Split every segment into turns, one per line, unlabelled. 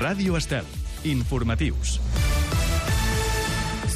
Ràdio Estel. Informatius.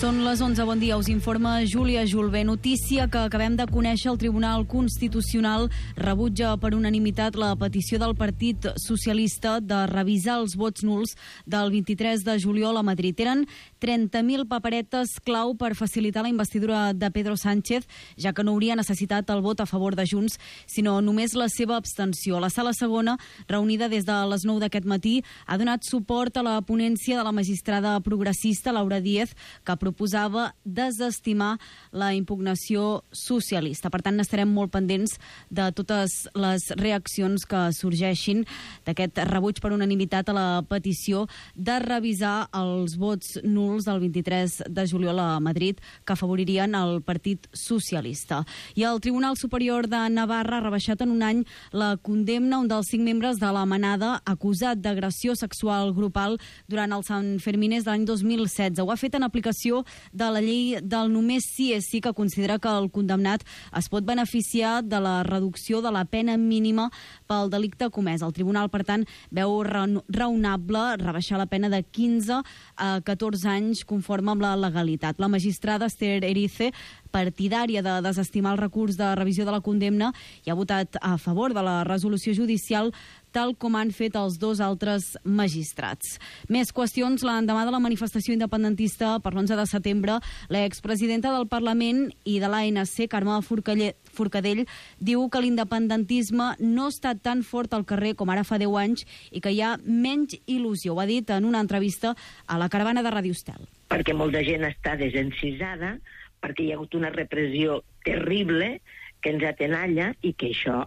Són les 11, bon dia, us informa Júlia Julve. Notícia que acabem de conèixer: el Tribunal Constitucional rebutja per unanimitat la petició del Partit Socialista de revisar els vots nuls del 23 de juliol a Madrid. Eren 30.000 paperetes clau per facilitar la investidura de Pedro Sánchez, ja que no hauria necessitat el vot a favor de Junts, sinó només la seva abstenció. La sala segona, reunida des de les 9 d'aquest matí, ha donat suport a la ponència de la magistrada progressista Laura Díez, que proposava desestimar la impugnació socialista. Per tant, estarem molt pendents de totes les reaccions que sorgeixin d'aquest rebuig per unanimitat a la petició de revisar els vots nuls del 23 de juliol a Madrid, que afavoririen el Partit Socialista. I el Tribunal Superior de Navarra ha rebaixat en un any la condemna a un dels 5 membres de la Manada acusat d'agressió sexual grupal durant els Sanfermines de l'any 2016. Ho ha fet en aplicació de la llei del només sí és sí, que considera que el condemnat es pot beneficiar de la reducció de la pena mínima pel delicte comès. El tribunal, per tant, veu raonable rebaixar la pena de 15 a 14 anys conforme amb la legalitat. La magistrada Esther Erice, partidària de desestimar el recurs de revisió de la condemna, i ha votat a favor de la resolució judicial, tal com han fet els 2 altres magistrats. Més qüestions. L'endemà de la manifestació independentista per l'11 de setembre, l'expresidenta del Parlament i de l'ANC, Carme Forcadell, diu que l'independentisme no ha estat tan fort al carrer com ara fa 10 anys i que hi ha menys il·lusió. Ho ha dit en una entrevista a la Caravana de Ràdio Estel.
Perquè molta gent està desencisada, perquè hi ha hagut una repressió terrible que ens atenalla i que això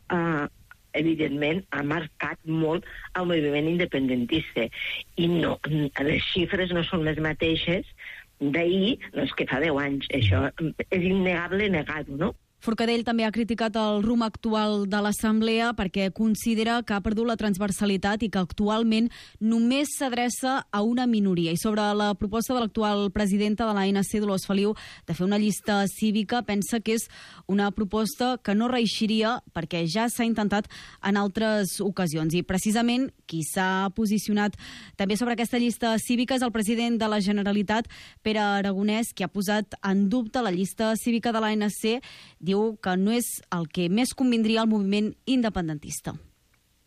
evidentment ha marcat molt el moviment independentista. I no, les xifres no són les mateixes d'ahir, no és que fa 10 anys. Això és innegable negar-ho, no?
Forcadell també ha criticat el rumb actual de l'Assemblea perquè considera que ha perdut la transversalitat i que actualment només s'adreça a una minoria. I sobre la proposta de l'actual presidenta de l'ANC, Dolors Feliu, de fer una llista cívica, pensa que és una proposta que no reeixiria perquè ja s'ha intentat en altres ocasions. I precisament qui s'ha posicionat també sobre aquesta llista cívica és el president de la Generalitat, Pere Aragonès, que ha posat en dubte la llista cívica de l'ANC. Diu que no és el que més convindria al moviment independentista.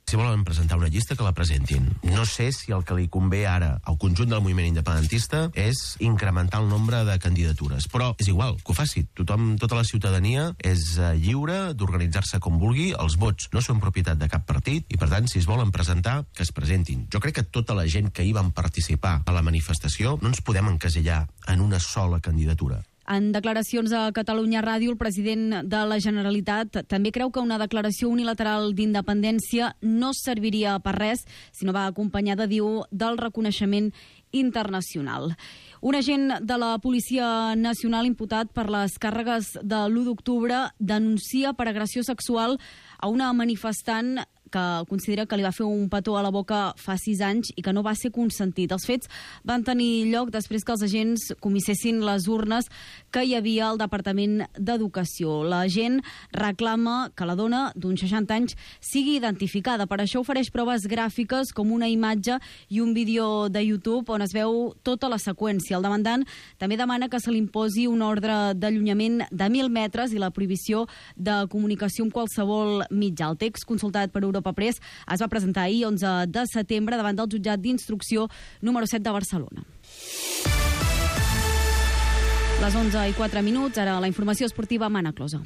Si volen presentar una llista, que la presentin. No sé si el que li convé ara al conjunt del moviment independentista és incrementar el nombre de candidatures, però és igual, que ho faci. Tothom, tota la ciutadania és lliure d'organitzar-se com vulgui, els vots no són propietat de cap partit i, per tant, si es volen presentar, que es presentin. Jo crec que tota la gent que hi van participar a la manifestació no ens podem encasellar en una sola candidatura.
En declaracions a Catalunya Ràdio, el president de la Generalitat també creu que una declaració unilateral d'independència no serviria per res si no va acompanyada, diu, del reconeixement internacional. Un agent de la Policia Nacional imputat per les càrregues de l'1 d'octubre denuncia per agressió sexual a una manifestant que considera que li va fer un petó a la boca fa 6 anys i que no va ser consentit. Els fets van tenir lloc després que els agents comissessin les urnes que hi havia al Departament d'Educació. L'agent reclama que la dona, d'uns 60 anys, sigui identificada. Per això ofereix proves gràfiques com una imatge i un vídeo de YouTube on es veu tota la seqüència. El demandant també demana que se li imposi una ordre d'allunyament de 1.000 metres i la prohibició de comunicació amb qualsevol mitjà. El text, consultat per Europa Press, es va presentar ahir, 11 de setembre, davant del jutjat d'instrucció número 7 de Barcelona. Les 11:04, ara la informació esportiva amb Anna Closa.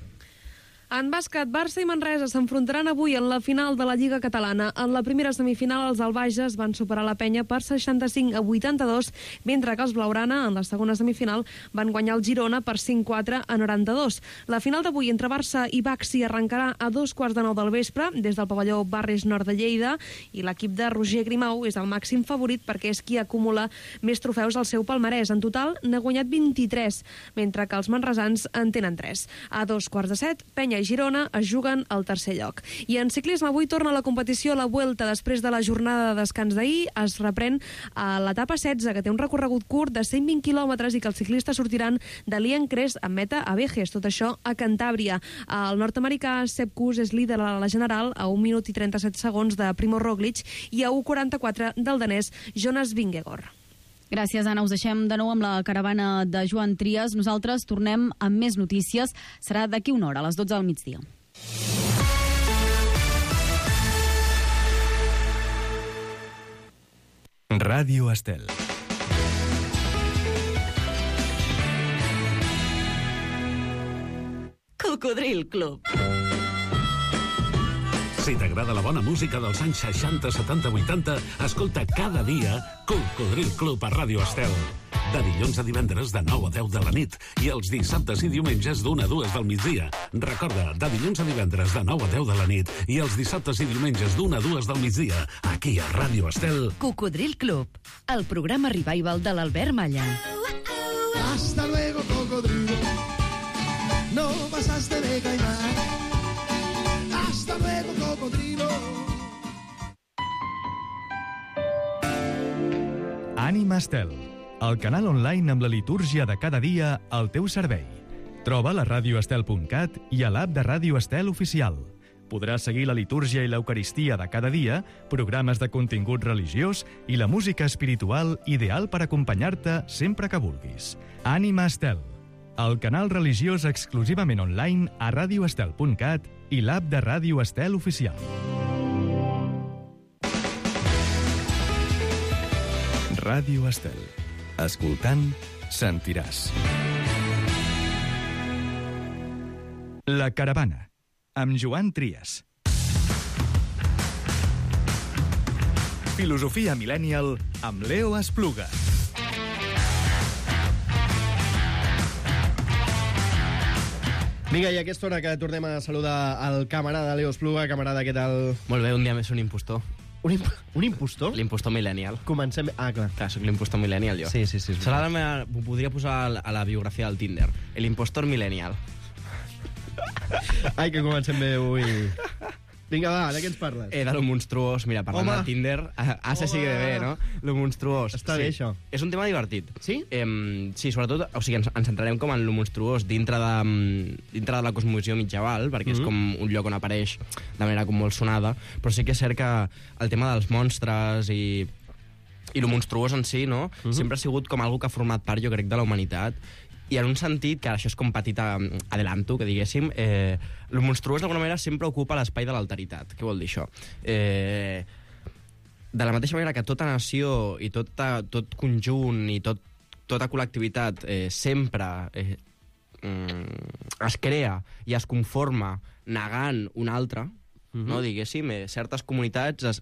En bàsquet, Barça i Manresa s'enfrontaran avui en la final de la Lliga Catalana. En la primera semifinal, els albages van superar la Penya per 65-82, mentre que els blaugrana, en la segona semifinal, van guanyar el Girona per 5-4-92. La final d'avui entre Barça i Baxi arrencarà a 2:15 del vespre, des del pavelló Barris Nord de Lleida, i l'equip de Roger Grimau és el màxim favorit perquè és qui acumula més trofeus al seu palmarès. En total, n'ha guanyat 23, mentre que els manresans en tenen 3. A 2:15, Penya i i Girona es juguen al tercer lloc. I en ciclisme avui torna la competició a la Vuelta després de la jornada de descans d'ahir. Es reprèn a l'etapa 16, que té un recorregut curt de 120 quilòmetres i que els ciclistes sortiran de Liencres amb meta a Vejes, tot això a Cantàbria. El nord-americà Sepp Kuss és líder a la general a 1 minut i 37 segons de Primo Roglic i a 1:44 del danès Jonas Vingegaard.
Gràcies, Anna. Us deixem de nou amb la caravana de Joan Trias. Nosaltres tornem amb més notícies. Serà d'aquí una hora, a les 12 del migdia.
Ràdio Estel.
Cocodril Club.
Si t'agrada la bona música dels anys 60, 70, 80, escolta cada dia Cocodril Club a Ràdio Estel. De dilluns a divendres de 9 a 10 de la nit i els dissabtes i diumenges d'1 a 2 del migdia. Recorda, de dilluns a divendres de 9 a 10 de la nit i els dissabtes i diumenges d'1 a 2 del migdia, aquí a Ràdio Estel.
Cocodril Club, el programa revival de l'Albert Malla.
Hasta luego, cocodrilo. No pasaste de caimán. Hasta luego, cocodrilo.
Ànima Estel, el canal online amb la litúrgia de cada dia al teu servei. Troba la radioestel.cat i a l'app de Ràdio Estel oficial. Podràs seguir la litúrgia i l'eucaristia de cada dia, programes de contingut religiós i la música espiritual ideal per acompanyar-te sempre que vulguis. Ànima Estel, el canal religiós exclusivament online a radioestel.cat i l'app de Ràdio Estel oficial. Ràdio Estel. Escoltant, sentiràs. La caravana, amb Joan Trias. Filosofia millennial amb Leo Espluga.
Vinga, i a aquesta hora que tornem a saludar el camarada Leo Espluga. Camarada, què tal?
Molt bé, un dia més un impostor.
Un impostor?
L'impostor millennial.
Comencem... Ah, clar.
Clar, soc l'impostor millennial, jo.
Sí.
Serà la meva... Ho podria posar a la biografia del Tinder. L'impostor millennial.
Ai, que comencem bé avui. Vinga, va, de què ens parles?
De lo monstruós. Mira, parlant del Tinder, se sigue de bé, no? Lo monstruós.
Està bé, això.
És un tema divertit.
Sí?
Sí, sobretot, o sigui, ens centrarem com en lo monstruós dintre de la cosmovisió mitjaval, perquè és com un lloc on apareix de manera com molt sonada, però sí que és cert que el tema dels monstres i lo monstruós en si, no? Sempre ha sigut com algo que ha format part, jo crec, de la humanitat. I en un sentit, que això és com petit adelanto, que diguéssim, el monstruós d'alguna manera sempre ocupa l'espai de l'alteritat. Què vol dir això? De la mateixa manera que tota nació i tot conjunt i tota col·lectivitat sempre es crea i es conforma negant un altre, no? Diguéssim, certes comunitats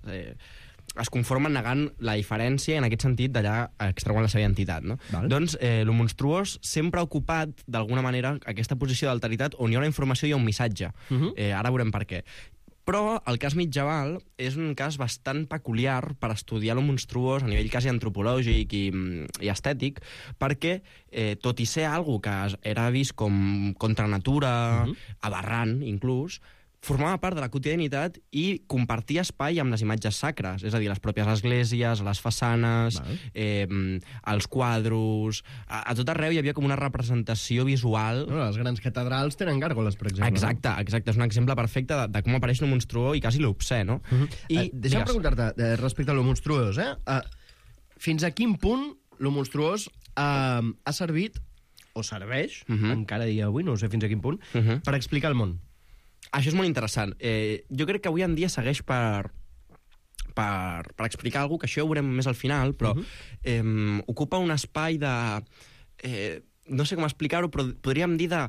es conformen negant la diferència, en aquest sentit, d'allà extreuen la seva identitat, no? Doncs, lo monstruós sempre ha ocupat, d'alguna manera, aquesta posició d'alteritat on hi ha una informació i un missatge. Ara veurem per què. Però el cas mitjaval és un cas bastant peculiar per estudiar lo monstruós a nivell quasi antropològic i estètic, perquè, tot i ser algo que era vist com contra natura, aberrant, inclús, formava part de la quotidianitat i compartia espai amb les imatges sacres, és a dir, les pròpies esglésies, les façanes, els quadros... A tot arreu hi havia com una representació visual...
No, les grans catedrals tenen gàrgoles, per exemple.
Exacte, és un exemple perfecte de com apareix lo monstruós i quasi l'obscè, no?
Deixa'm preguntar-te, respecte a lo monstruós, fins a quin punt lo monstruós ha servit, o serveix, encara dia avui, no sé fins a quin punt, per explicar el món?
Això és molt interessant. Jo crec que avui en dia segueix per explicar alguna cosa, que això ho veurem més al final, però ocupa un espai de... no sé com explicar-ho, però podríem dir de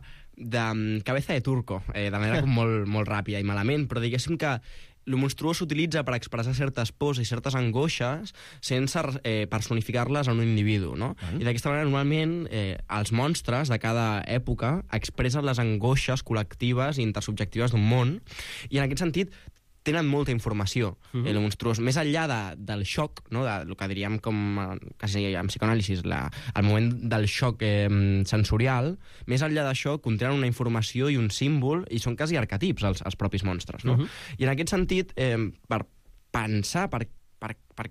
cabeza de turco, de manera com molt ràpida i malament, però diguéssim que el monstruós s'utilitza per expressar certes pors i certes angoixes sense personificar-les en un individu, no? I d'aquesta manera, normalment, els monstres de cada època expressen les angoixes col·lectives i intersubjectives d'un món, i en aquest sentit tenen molta informació, el monstruós. Més enllà del xoc, no? Del que diríem com, quasi en psicoanàlisis, el moment del xoc sensorial, més enllà d'això contenen una informació i un símbol, i són quasi arquetips els propis monstres, no? I en aquest sentit, per pensar per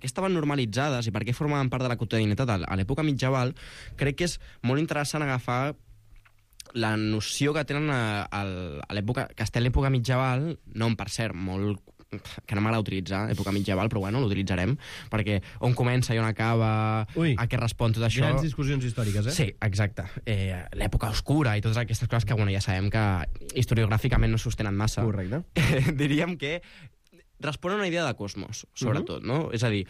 què estaven normalitzades i per què formaven part de la quotidianitat a l'època medieval, crec que és molt interessant agafar la noció que tenen a l'època, que està a l'època medieval, nom, per cert, molt que no m'agrada utilitzar, època medieval, però bueno, l'utilitzarem, perquè on comença i on acaba, a què respon tot això...
Grans discussions històriques,
Sí, exacte. L'època oscura i totes aquestes coses que, bueno, ja sabem que historiogràficament no sostenen massa.
Correcte.
Diríem que respon a una idea de cosmos, sobretot, no? És a dir,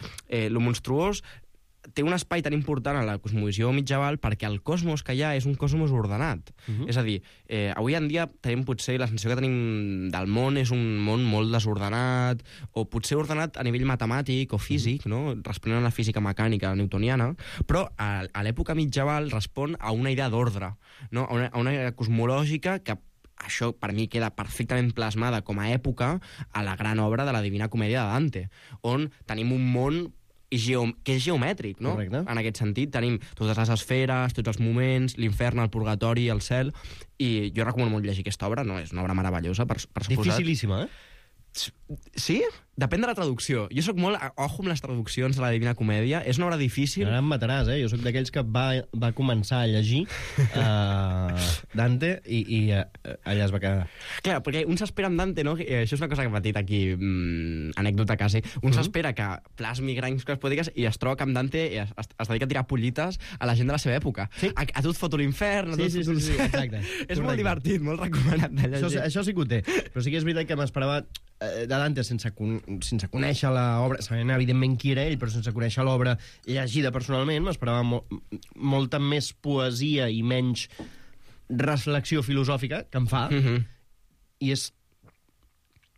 lo monstruós té un espai tan important a la cosmovisió medieval perquè el cosmos que hi ha és un cosmos ordenat. És a dir, avui en dia tenim potser la sensació que tenim del món és un món molt desordenat, o potser ordenat a nivell matemàtic o físic, no? Responent a la física mecànica newtoniana, però a l'època medieval respon a una idea d'ordre, no? A una idea cosmològica que això per mi queda perfectament plasmada com a època a la gran obra de la Divina Comèdia de Dante, on tenim un món que és geomètric, no?
Correcte.
En aquest sentit, tenim totes les esferes, tots els moments, l'infern, el purgatori, el cel, i jo recomano molt llegir aquesta obra, no? És una obra meravellosa, per suposat.
Dificilíssima,
Sí? Depèn de la traducció. Jo sóc molt ojo amb les traduccions de la Divina Comèdia. És una obra difícil.
Ara em mataràs, Jo sóc d'aquells que va començar a llegir Dante i allà es va quedar.
Clar, perquè un s'espera amb Dante, no? Això és una cosa que hem patit aquí, anècdota quasi. Un s'espera que plasmi grans coses poètiques i es troba que amb Dante es dedica a tirar pollites a la gent de la seva època.
Sí.
A tu et foto l'infern, a tu et foto...
Sí, exacte.
És molt divertit, molt recomanat de llegir.
Això sí que ho té. Però sí que és veritat que m'esperava de Dante sense conèixer l'obra, sabent evidentment qui era ell, però sense conèixer l'obra llegida personalment, m'esperava molta més poesia i menys reflexió filosòfica, que em fa, i és...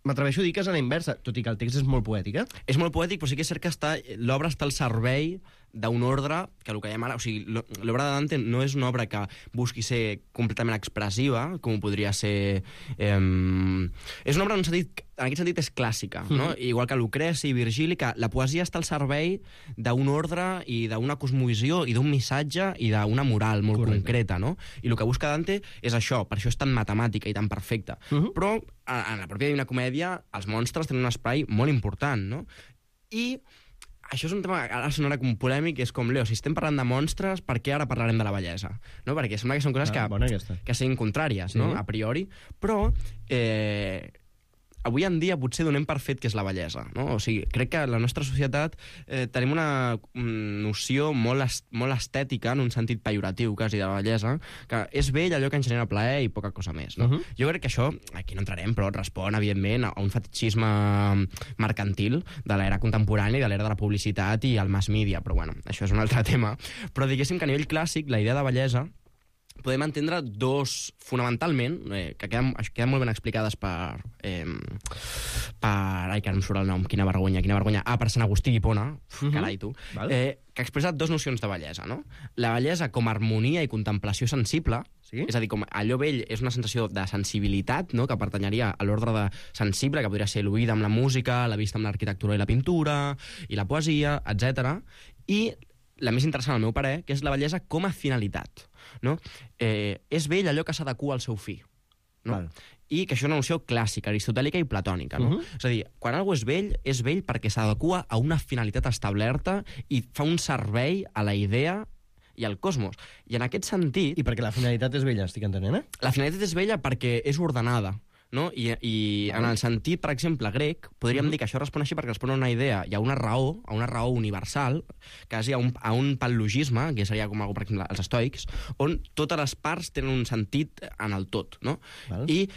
M'atreveixo a dir que és a la inversa, tot i que el text és molt poètic,
És molt poètic, però sí que és cert que l'obra està al servei d'un ordre, que el que dèiem ara... O sigui, l'obra de Dante no és una obra que busqui ser completament expressiva, com podria ser... És una obra, en aquest sentit, és clàssica, no? Igual que Lucreci i Virgili, que la poesia està al servei d'un ordre i d'una cosmovisió i d'un missatge i d'una moral molt concreta, no? I el que busca Dante és això, per això és tan matemàtica i tan perfecta. Però en la pròpia Divina Comèdia els monstres tenen un espai molt important, no? I això és un tema que ara sonarà com polèmic, és com, Leo, si estem parlant de monstres, per què ara parlarem de la bellesa? No? Perquè sembla que són coses que siguin contràries, no? A priori, però avui en dia potser donem per fet que és la bellesa, no? O sigui, crec que la nostra societat tenim una noció molt estètica, en un sentit pejoratiu quasi, de la bellesa, que és bell allò que ens genera plaer i poca cosa més, no? Jo crec que això, aquí no entrarem, però respon, evidentment, a un fetichisme mercantil de l'era contemporània i de l'era de la publicitat i el mass media, però bueno, això és un altre tema. Però diguéssim que a nivell clàssic, la idea de bellesa podem entendre dos, fonamentalment, que queden molt ben explicades per... Ai, que no em surt el nom, quina vergonya. Per Sant Agustí d'Hipona, carai tu, que expressa dos nocions de bellesa, no? La bellesa com a harmonia i contemplació sensible, és a dir, com allò bell és una sensació de sensibilitat, no?, que pertanyaria a l'ordre de sensible, que podria ser l'oïda amb la música, la vista amb l'arquitectura i la pintura, i la poesia, etc. I la més interessant, al meu parer, que és la bellesa com a finalitat, no? És bell allò que s'adequa al seu fi, no? I que això és una noció clàssica, aristotèlica i platònica, no? És a dir, quan algú és vell perquè s'adequa a una finalitat establerta i fa un servei a la idea i al cosmos. I en aquest sentit...
I perquè la finalitat és bella, estic entenent,
La finalitat és bella perquè és ordenada, no? I en el sentit, per exemple, grec, podríem dir que això respon així perquè respon a una idea i a una raó universal, quasi a un pal·logisme, que seria com algú, per exemple, els estoics, on totes les parts tenen un sentit en el tot, no? I,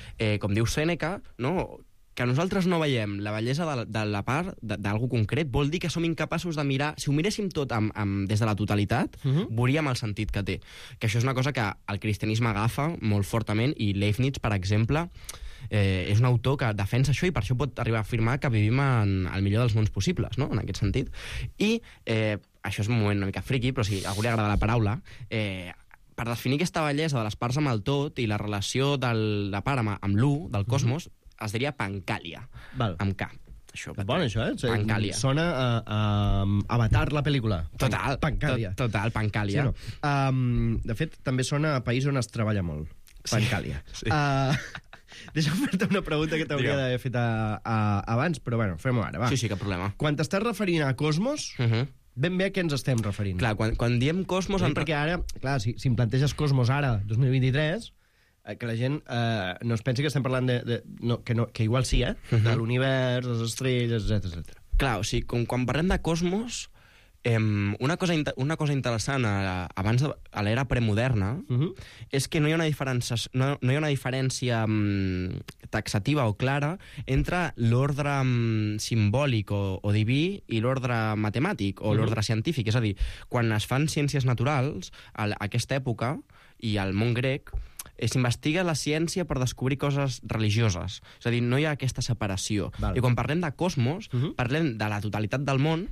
com diu Sèneca, no?, que nosaltres no veiem la bellesa de la part d'algú concret, vol dir que som incapaços de mirar... Si ho miréssim tot des de la totalitat, veuríem el sentit que té. Que això és una cosa que el cristianisme agafa molt fortament, i Leibniz, per exemple, és un autor que defensa això i per això pot arribar a afirmar que vivim en el millor dels mons possibles, no?, en aquest sentit. I això és un moment una mica friqui, però si a algú li agrada la paraula... Per definir aquesta bellesa de les parts amb el tot i la relació de la part amb l'u, del cosmos, es diria Pancàlia,
Val.
amb K. Això,
Bon, això,
Pancàlia.
Sona a Avatar, la pel·lícula.
Total,
Pancàlia.
Total, Pancàlia.
Sí, no. De fet, també sona a país on es treballa molt. Pancàlia.
Sí.
Deixa'm fer-te una pregunta que t'hauria d'haver fet abans, però bueno, fem-ho ara, va.
Sí, cap problema.
Quan t'estàs referint a Cosmos, ben bé a què ens estem referint?
Clar, quan diem Cosmos...
Perquè ara, clar, si em planteges Cosmos ara, 2023... que la gent no es pensi que estem parlant que igual sí, de l'univers, les estrelles, etc.
Clar, o sigui, quan parlem de cosmos, una cosa interessant abans a l'era premoderna és que no hi ha una diferència taxativa o clara entre l'ordre simbòlic o diví i l'ordre matemàtic o l'ordre científic. És a dir, quan es fan ciències naturals, a aquesta època, i al món grec, s'investiga la ciència per descobrir coses religioses. És a dir, no hi ha aquesta separació.
Val.
I quan parlem de cosmos, parlem de la totalitat del món,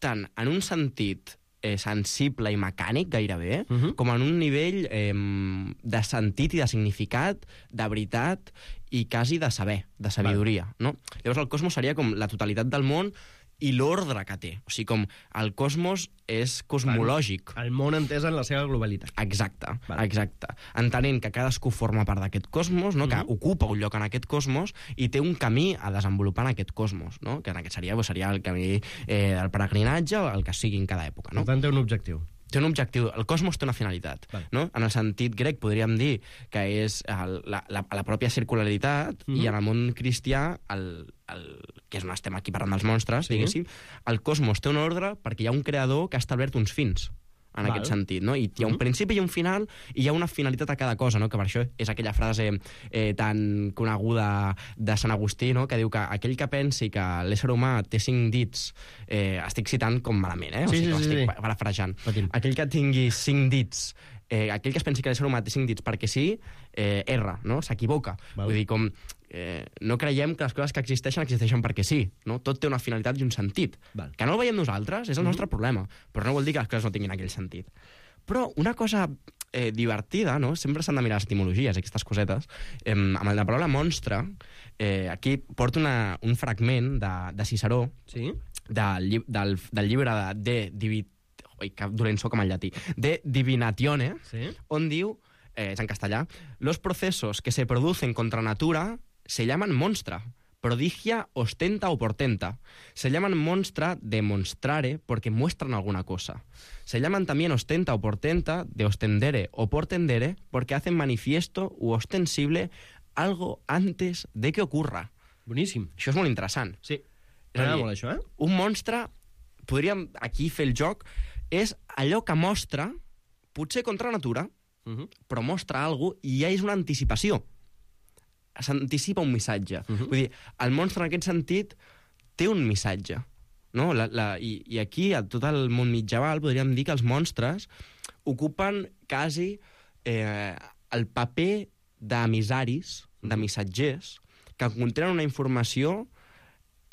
tant en un sentit sensible i mecànic, gairebé, com en un nivell de sentit i de significat, de veritat i quasi de saber, de sabidoria. No? Llavors el cosmos seria com la totalitat del món i l'ordre que té. O sigui, com el cosmos és cosmològic.
El món entès en la seva globalitat.
Exacte, exacte. Entenent que cadascú forma part d'aquest cosmos, no? Que ocupa un lloc en aquest cosmos i té un camí a desenvolupar en aquest cosmos, no? Que en aquest seria el camí del peregrinatge o el que sigui en cada època. No?
Per tant, té un objectiu.
Té un objectiu. El cosmos té una finalitat. No? En el sentit grec podríem dir que és la pròpia circularitat i en el món cristià, que és on estem aquí parlant dels monstres, diguéssim, el cosmos té un ordre perquè hi ha un creador que ha establert uns fins en aquest sentit, no? I hi ha un principi i un final, i hi ha una finalitat a cada cosa, no? Que per això és aquella frase tan coneguda de Sant Agustí, no? Que diu que aquell que pensi que l'ésser humà té 5 dits, estic citant com malament, o sigui que estic parafrasejant. Aquell que tingui 5 dits, aquell que es pensi que l'ésser humà té 5 dits perquè sí, erra, no? S'equivoca. Vull dir, com no creiem que les coses que existeixen perquè sí, no? Tot té una finalitat i un sentit. Que no el veiem nosaltres, és el nostre problema, però no vol dir que les coses no tinguin aquell sentit. Però una cosa divertida, no? Sempre s'han de mirar les etimologies, aquestes cosetes. Amb la paraula monstre, aquí porto un fragment de Ciceró, del llibre que dolent soc amb el llatí, de Divinatione, on diu, és en castellà, los procesos que se producen contra natura se llaman monstra, prodigia, ostenta o portenta. Se llaman monstra de monstrare porque muestran alguna cosa. Se llaman también ostenta o portenta de ostendere o portendere porque hacen manifiesto u ostensible algo antes de que ocurra.
Boníssim.
Això és molt interessant.
Sí. M'agrada molt això,
Un monstre, podríem aquí fer el joc, és allò que mostra, potser contra natura, però mostra alguna cosa i ja és una anticipació. S'anticipa un missatge. Vull dir, el monstre en aquest sentit té un missatge. No? I aquí, a tot el món mitjaval, podríem dir que els monstres ocupen quasi el paper d'emissaris, de missatgers, que contenen una informació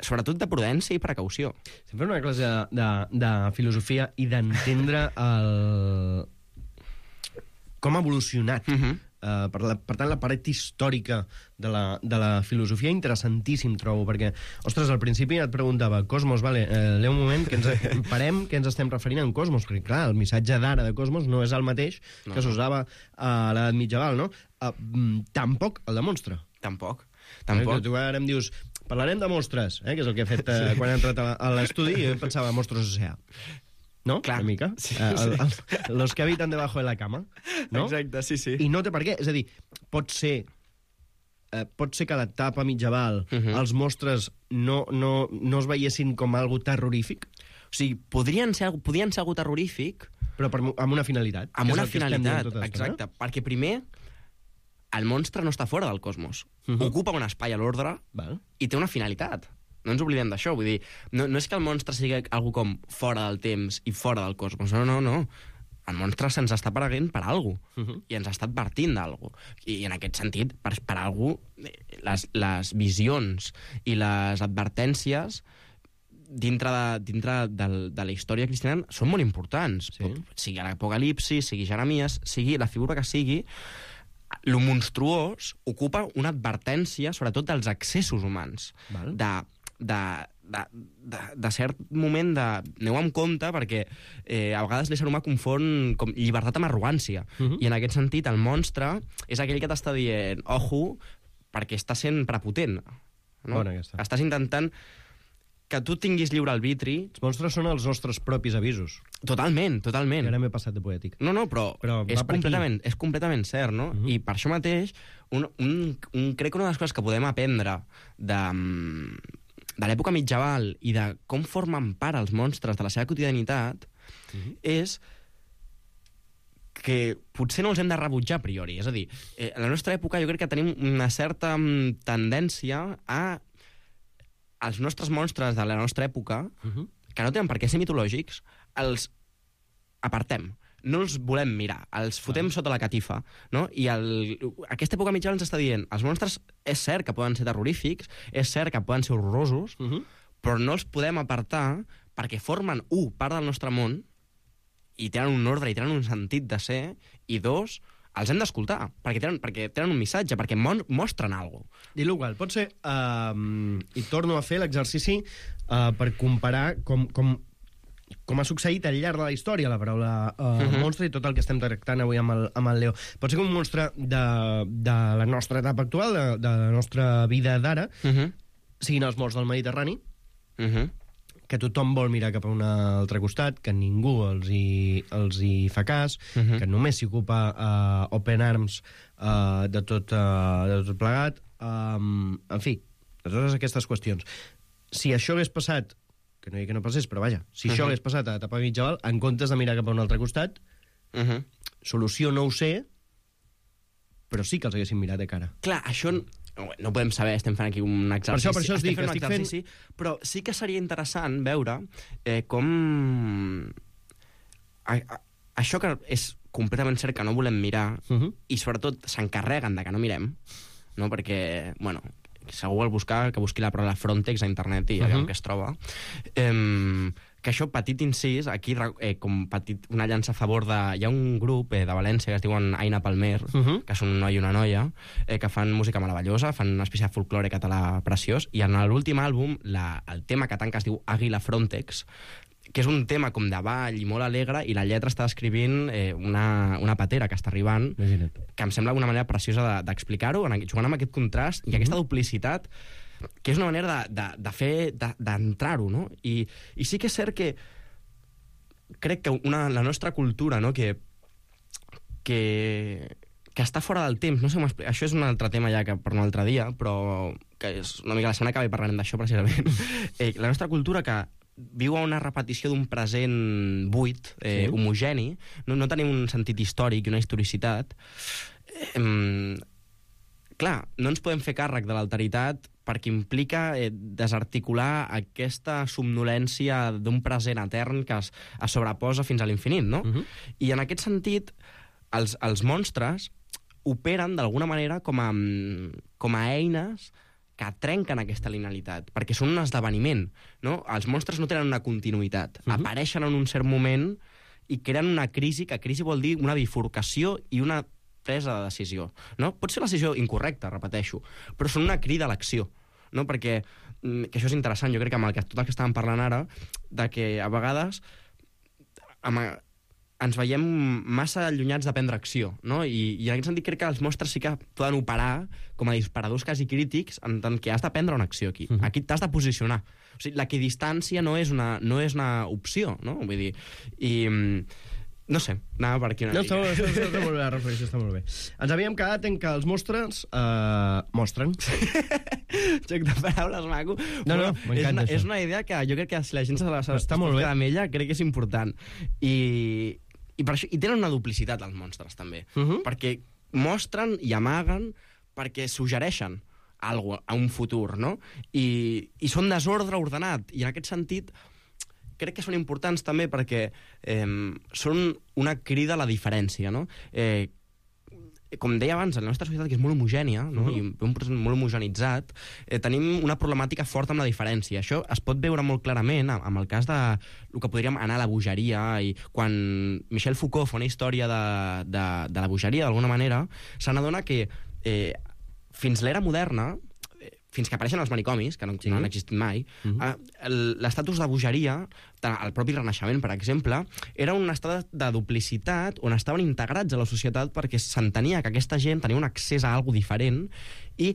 sobretot de prudència i precaució.
Estem fent una classe de filosofia i d'entendre com ha evolucionat. Per tant, la paret històrica de la filosofia interessantíssim, trobo, perquè, ostres, al principi et preguntava, Cosmos, vale, un moment, que parem què ens estem referint en Cosmos, perquè, clar, el missatge d'ara de Cosmos no és el mateix que s'usava a l'edat mitjaval, no? Tampoc el de monstre.
Tampoc.
Tu ara em dius, parlarem de monstres, que és el que he fet quan he entrat a l'estudi, i jo pensava Monstruos S.A. ¿no?
Clar.
Una mica. Sí, sí. Los que habitan debajo de la cama, no?
Exacte, sí, sí.
I no té per què. És a dir, pot ser que a l'etapa mitjaval els monstres no es veiessin com algo terrorífic?
O sigui, podien ser algo terrorífic...
Però amb una finalitat.
Amb una finalitat, exacte. Perquè primer, el monstre no està fora del cosmos. Ocupa un espai a l'ordre i té una finalitat. No ens oblidem d'això, vull dir, no és que el monstre sigui algú com fora del temps i fora del cosmos, no. El monstre se'ns està apareguent per alguna cosa, i ens està advertint d'alguna cosa. I en aquest sentit, per alguna cosa, les visions i les advertències dintre de la història cristiana són molt importants. Sí. Sigui l'Apocalipsi, sigui Jeremies, sigui la figura que sigui, lo monstruós ocupa una advertència, sobretot dels excessos humans.
Val.
De cert moment de... Aneu amb compte, perquè a vegades l'ésser humà confon com llibertat amb arrogància. I en aquest sentit, el monstre és aquell que t'està dient ojo, perquè està sent prepotent. No?
Bona aquesta.
Estàs intentant que tu tinguis lliure arbitri.
Els monstres són els nostres propis avisos.
Totalment, totalment.
Ara m'he passat de poètic.
No, però és completament cert, no? I per això mateix, crec que una de les coses que podem aprendre de l'època mitjaval i de com formen part els monstres de la seva quotidianitat és que potser no els hem de rebutjar a priori. És a dir, a la nostra època jo crec que tenim una certa tendència a els nostres monstres de la nostra època, que no tenen per què ser mitològics, els apartem. No els volem mirar, els fotem sota la catifa, no? I aquesta època mitjana ens està dient els monstres és cert que poden ser terrorífics, és cert que poden ser horrorosos, però no els podem apartar perquè formen, part del nostre món i tenen un ordre i tenen un sentit de ser, i dos, els hem d'escoltar, perquè tenen un missatge, perquè mostren alguna cosa.
Dit-lo qual, pot ser, i torno a fer l'exercici per comparar com ha succeït al llarg de la història la paraula monstre i tot el que estem tractant avui amb el Leo. Pot ser que un monstre de la nostra etapa actual, de la nostra vida d'ara, siguin els morts del Mediterrani, que tothom vol mirar cap a un altre costat, que ningú els hi fa cas, que només s'hi ocupa Open Arms de tot plegat. En fi, de totes aquestes qüestions. Si això hagués passat, que no dic que no passés, però vaja, si això hagués passat a l'etapa mitjaval, en comptes de mirar cap a un altre costat, solució no ho sé, però sí que els haguessin mirat de cara.
Clar, això no podem saber, estem fent aquí un exercici.
Per això estic fent...
Però sí que seria interessant veure com... Això que és completament cert que no volem mirar, i sobretot s'encarreguen de que no mirem, no? Perquè, bueno, si algú vol buscar, que busqui la paraula Frontex a internet i allà on que es troba. Que això, petit incís, aquí com una llança a favor de... Hi ha un grup de València que es diuen Aina Palmer, que són un noi i una noia, que fan música meravellosa, fan una espècie de folklore català preciós, i en l'últim àlbum, el tema que tanca es diu Àguila Frontex, que és un tema com de ball i molt alegre, i la lletra està escrivint una patera que està arribant, que em sembla una manera preciosa d'explicar-ho, jugant amb aquest contrast i aquesta duplicitat, que és una manera d'entrar-ho, no? I sí que és cert que crec que la nostra cultura, no?, que està fora del temps, no sé com explicar, això és un altre tema ja que per un altre dia, però que és una mica la setmana que ve parlarem d'això precisament. La nostra cultura que viu a una repetició d'un present buit, homogeni, no tenim un sentit històric i una historicitat. Clar, no ens podem fer càrrec de l'alteritat perquè implica desarticular aquesta somnolència d'un present etern que es sobreposa fins a l'infinit, no? I en aquest sentit, els monstres operen d'alguna manera com a eines que trenquen aquesta linealitat, perquè són un esdeveniment, no? Els monstres no tenen una continuïtat, apareixen en un cert moment i creen una crisi, que crisi vol dir una bifurcació i una presa de decisió, no? Pot ser la decisió incorrecta, repeteixo, però són una crida a l'acció, no? Perquè, que això és interessant, jo crec que amb tot el que estàvem parlant ara, de que a vegades ens veiem massa allunyats de prendre acció, no? I en aquest sentit crec que els monstres sí que poden operar com a disparadors quasi crítics en tant que has de prendre una acció aquí. Aquí t'has de posicionar. O sigui, l'equidistància no és una opció, no? Vull dir, no sé, anava per aquí una mica.
Està molt bé, la reflexió està molt bé. Ens havíem quedat en que els mostres mostren.
Joc de paraules maco.
No, m'encanta això.
És una idea que jo crec que si la gent s'està molt bé amb ella, crec que és important. I per això, i tenen una duplicitat els monstres també, perquè mostren i amaguen perquè suggereixen alguna cosa a un futur, no? I són desordre ordenat, i en aquest sentit crec que són importants també perquè són una crida a la diferència, no? com deia abans, la nostra societat, que és molt homogènia, no? I un procés molt homogenitzat, tenim una problemàtica forta amb la diferència. Això es pot veure molt clarament amb el cas de el que podríem anar a la bogeria, i quan Michel Foucault fa una història de la bogeria, d'alguna manera, se n'adona que fins l'era moderna, fins que apareixen els manicomis, que no han existit mai, l'estatus de bogeria, el propi Renaixement, per exemple, era un estat de duplicitat on estaven integrats a la societat perquè s'entenia que aquesta gent tenia un accés a alguna diferent i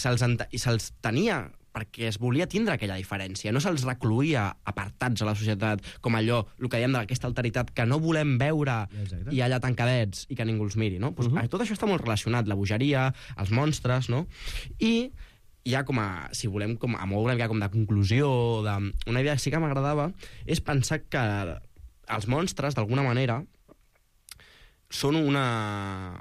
se'ls tenia perquè es volia tindre aquella diferència. No se'ls recluïa apartats a la societat com allò, el que dèiem d'aquesta alteritat, que no volem veure i allà tancadets i que ningú els miri, no? Tot això està molt relacionat, la bogeria, els monstres, no? I ja com a, si volem, com a moure una mica com de conclusió, una idea que sí que m'agradava, és pensar que els monstres, d'alguna manera, són una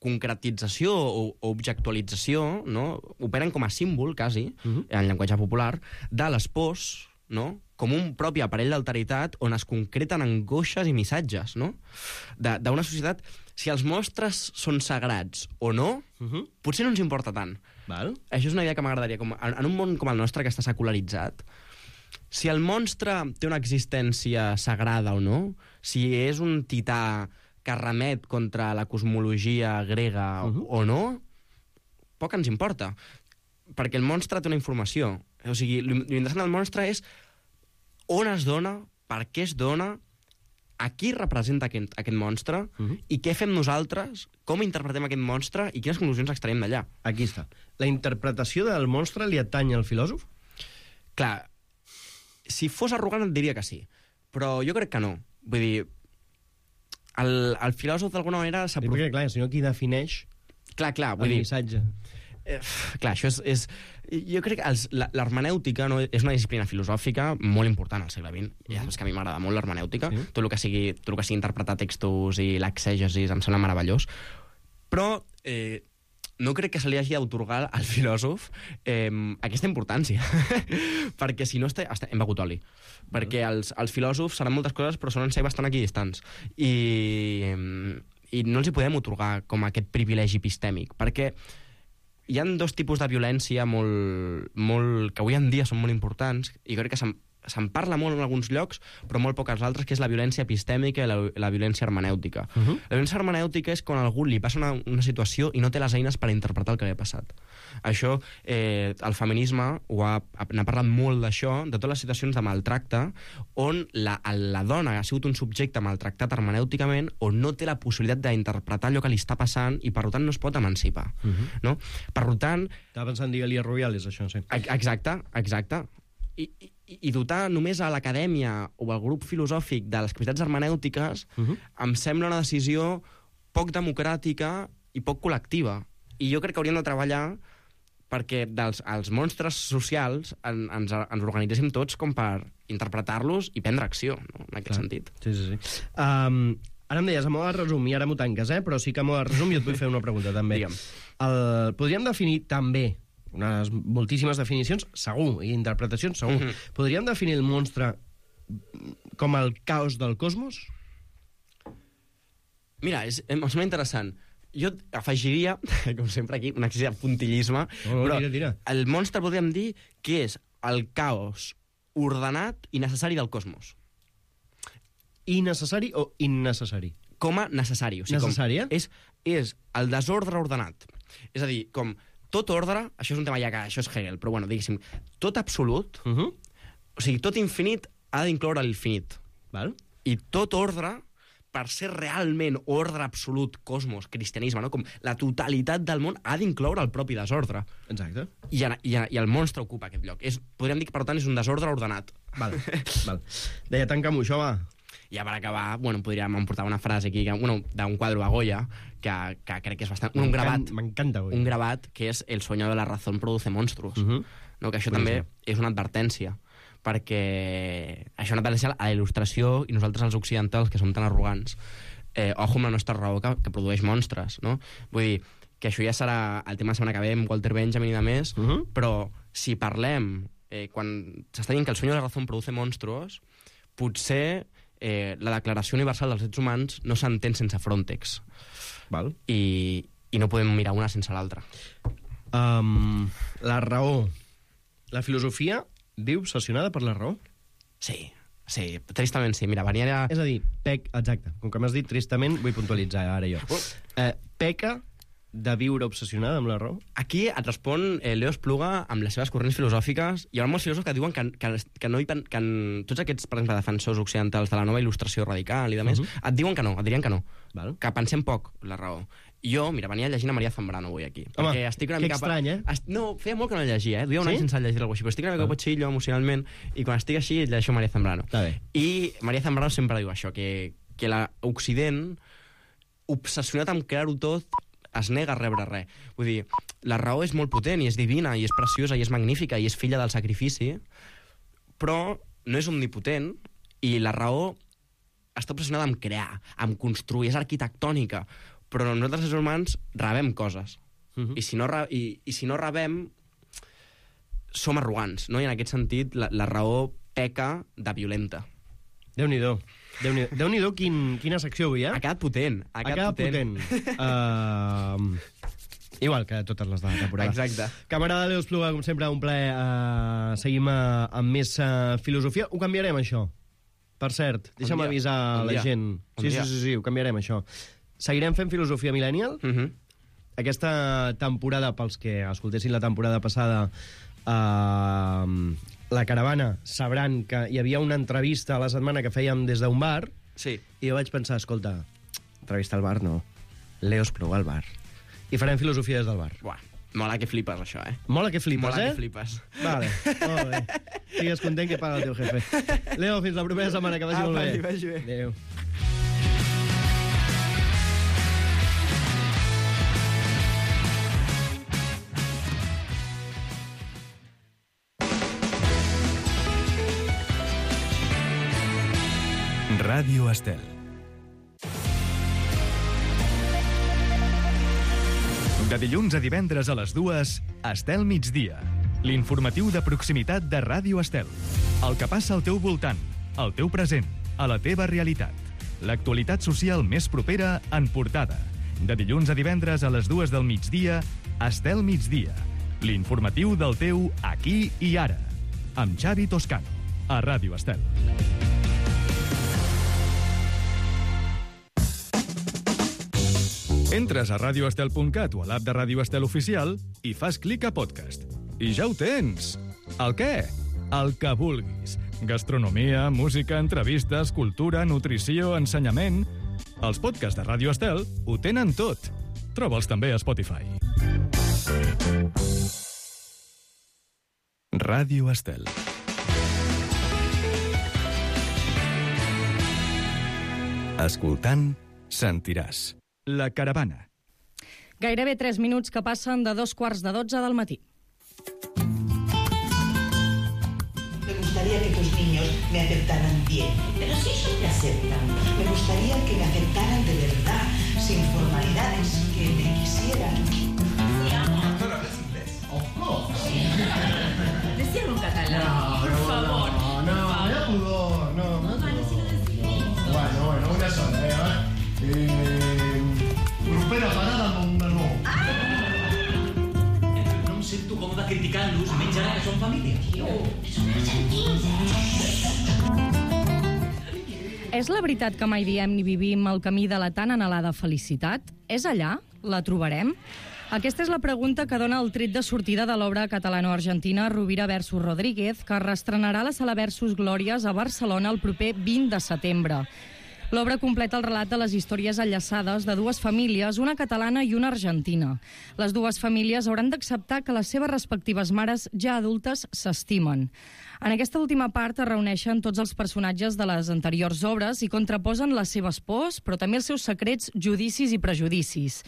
concretització o objectualització, no? Operen com a símbol, quasi, en llenguatge popular, de les pors, no? Com un propi aparell d'alteritat on es concreten angoixes i missatges, no? D'una societat, si els monstres són sagrats o no, potser no ens importa tant.
Val.
Això és una idea que m'agradaria. En un món com el nostre, que està secularitzat, si el monstre té una existència sagrada o no, si és un tità que remet contra la cosmologia grega o no, poc ens importa. Perquè el monstre té una informació. O sigui, l'interessant del monstre és on es dona, per què es dona, a qui representa aquest monstre i què fem nosaltres, com interpretem aquest monstre i quines conclusions extraiem d'allà.
Aquí està. La interpretació del monstre li atany al filòsof?
Clar, si fos arrogant et diria que sí, però jo crec que no. Vull dir, el filòsof d'alguna manera...
Perquè, clar, si no, qui defineix
vull dir,
missatge?
Clar, això és... Jo crec que l'hermenèutica és una disciplina filosòfica molt important al segle XX. Ja saps que a mi m'agrada molt l'hermenèutica. Tot el que sigui interpretar textos i l'exègesi em sembla meravellós. Però no crec que se li hagi d'autorgar al filòsof aquesta importància. Perquè si no hem begut oli. Perquè els filòsofs seran moltes coses, però solen ser bastant equidistants. I no els hi podem otorgar com aquest privilegi epistèmic. Perquè hi ha dos tipus de violència que avui en dia són molt importants i crec que se'n parla molt en alguns llocs, però molt poc als altres, que és la violència epistèmica i la violència hermenèutica. La violència hermenèutica és quan a algú li passa una situació i no té les eines per interpretar el que li ha passat. Això, el feminisme n'ha parlat molt d'això, de totes les situacions de maltracte, on la dona ha sigut un subjecte maltractat hermenèuticament, on no té la possibilitat d'interpretar allò que li està passant i, per tant, no es pot emancipar. No? Per tant...
Estava pensant en Elia Rubiales, això, sí.
Exacte. I dotar només a l'acadèmia o al grup filosòfic de les capacitats hermenèutiques em sembla una decisió poc democràtica i poc col·lectiva. I jo crec que hauríem de treballar perquè els monstres socials ens organitzéssim tots com per interpretar-los i prendre acció, no? En aquest sentit.
Sí. Ara em deies, a moda de resum, i ara m'ho tanques, però sí que a moda de resum jo et vull fer una pregunta, també. Podríem definir també unes moltíssimes definicions, segur, i interpretacions, segur. Podríem definir el monstre com el caos del cosmos?
Mira, em sembla interessant. Jo afegiria, com sempre aquí, un excés de puntillisme, però
tira.
El monstre podríem dir que és el caos ordenat i necessari del cosmos.
Innecessari o innecessari?
Com a necessari. O sigui,
necessari,
és el desordre ordenat. És a dir, com tot ordre, això és un tema ja que això és Hegel, però bueno, diguéssim, tot absolut, o sigui, tot infinit ha d'incloure l'infinit. I tot ordre, per ser realment ordre absolut, cosmos, cristianisme, no? Com la totalitat del món ha d'incloure el propi desordre.
Exacte.
I el monstre ocupa aquest lloc. Podríem dir que, per tant, és un desordre ordenat.
Val. Deia, tanca'm-ho, això, va.
Ja per acabar, podríem emportar una frase aquí, d'un quadre a Goya, que crec que és bastant... Un gravat.
M'encanta, Goya.
Un gravat que és El sueño de la razón produce monstruos. No? Que això també és una advertència, perquè això és una advertència a la il·lustració i nosaltres els occidentals, que som tan arrogants, ojo amb la nostra raó que produeix monstres, no? Vull dir, que això ja serà el tema de setmana que ve amb Walter Benjamin i de més, però si parlem, quan s'està dient que El sueño de la razón produce monstruos, potser la Declaració Universal dels Drets Humans no s'entén sense Frontex.
Val.
I no podem mirar una sense l'altra.
La raó. La filosofia viu obsessionada per la raó?
Sí, tristament sí. Mira, venia...
És a dir, exacte, com que m'has dit tristament, vull puntualitzar ara jo. Peca de viure obsessionada amb la raó?
Aquí et respon Leo Espluga amb les seves corrents filosòfiques. Hi ha molts filòsofs que diuen que tots aquests, per exemple, defensors occidentals de la nova il·lustració radical i de més, et dirien que no.
Val.
Que pensem poc la raó. Jo, mira, venia llegint a Maria Zambrano avui aquí.
Home,
estic una
que
mica...
estrany,
No, feia molt que no llegia, duia un any sense llegir alguna cosa així, però estic una mica potxillo emocionalment, i quan estic així llegeixo Maria Zambrano. I Maria Zambrano sempre diu això, que l'Occident, obsessionat amb crear-ho tot, es nega a rebre res. Vull dir, la raó és molt potent, i és divina, i és preciosa, i és magnífica, i és filla del sacrifici, però no és omnipotent, i la raó està obsessionada amb crear, amb construir, és arquitectònica, però nosaltres els humans rebem coses. I si no rebem, som arrogants, no? I en aquest sentit la raó peca de violenta.
Déu-n'hi-do. Déu-n'hi-do quina secció avui,
Ha quedat potent.
Ha quedat potent. Igual que totes les de la temporada.
Exacte.
Camarada Leo Espluga, com sempre, un plaer. Seguim amb més filosofia. Ho canviarem, això. Per cert, deixa'm avisar la gent. Sí, ho canviarem, això. Seguirem fent filosofia millennial. Aquesta temporada, pels que escoltessin la temporada passada, la caravana, sabran que hi havia una entrevista a la setmana que fèiem des d'un bar,
sí.
I jo vaig pensar, escolta, entrevista al bar no, Leo Espluga al bar. I farem filosofia des del bar.
Buah, mola que flipes, això,
Mola que flipes,
Mola que flipes.
Vale, molt bé. Sigues content que paga el teu jefe. Leo, fins la propera setmana, que vagi molt bé.
Vagi bé.
Adéu.
Ràdio Estel. De dilluns a divendres a les 2, Estel Migdia. L'informatiu de proximitat de Ràdio Estel. El que passa al teu voltant, al teu present, a la teva realitat. L'actualitat social més propera en portada. De dilluns a divendres a les 2 del migdia, Estel Migdia. L'informatiu del teu aquí i ara. Amb Xavi Toscano, a Ràdio Estel. Entres a radioestel.cat o a l'app de Ràdio Estel Oficial i fas clic a podcast. I ja ho tens! El què? El que vulguis. Gastronomia, música, entrevistes, cultura, nutrició, ensenyament... Els podcasts de Ràdio Estel ho tenen tot. Troba'ls també a Spotify. Ràdio Estel. Escoltant, sentiràs. La caravana.
Gairebé 3 minuts que passen de 2:15 del matí.
Me gustaría que tus niños me aceptaran bien. Pero si eso me aceptan, me gustaría que me aceptaran de verdad, sin formalidades, que me quisieran. Sí, amor. ¿Tú hablas inglés? Of course. Sí. Decíalo en catalán, por favor.
No, ya pudor, no. No, vale, si lo decimos. Bueno, una sola, Propera parada amb un menú.
No em sento còmode criticant-los, menys ara que són família.
Són argentins, És la veritat que mai diem ni vivim el camí de la tan anhelada felicitat? És allà? La trobarem? Aquesta és la pregunta que dona el tret de sortida de l'obra catalano-argentina Rovira versus Rodríguez, que reestrenarà la Sala Versus Glòries a Barcelona el proper 20 de setembre. L'obra completa el relat de les històries enllaçades de dues famílies, una catalana i una argentina. Les dues famílies hauran d'acceptar que les seves respectives mares, ja adultes, s'estimen. En aquesta última part es reuneixen tots els personatges de les anteriors obres i contraposen les seves pors, però també els seus secrets, judicis i prejudicis.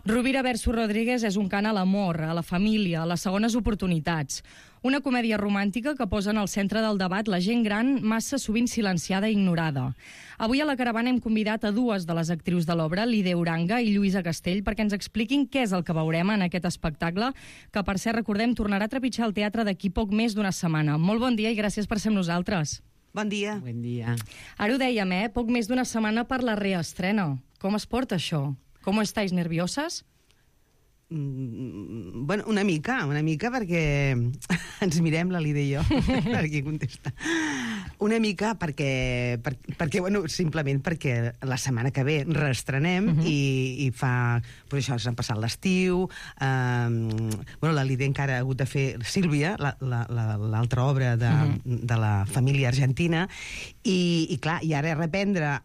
Rovira versus Rodríguez és un cant a l'amor, a la família, a les segones oportunitats. Una comèdia romàntica que posa en el centre del debat la gent gran massa sovint silenciada i ignorada. Avui a la caravana hem convidat a dues de les actrius de l'obra, Lide Uranga i Lluïsa Castell, perquè ens expliquin què és el que veurem en aquest espectacle, que per cert, recordem, tornarà a trepitjar el teatre d'aquí poc més d'una setmana. Molt bon dia i gràcies per ser amb nosaltres.
Bon dia.
Bon dia.
Ara ho dèiem, poc més d'una setmana per la reestrena. Com es porta això? Com estáis nervioses?
Bueno, una mica, perquè ens mirem, la Lídia i jo, per aquí contesta. Una mica perquè bueno, simplement perquè la setmana que ve reestrenem i fa... Pues això, s'han passat l'estiu, bueno, la Lídia encara ha hagut de fer Sílvia, l'altra obra de la família argentina, i clar, i ara reprendre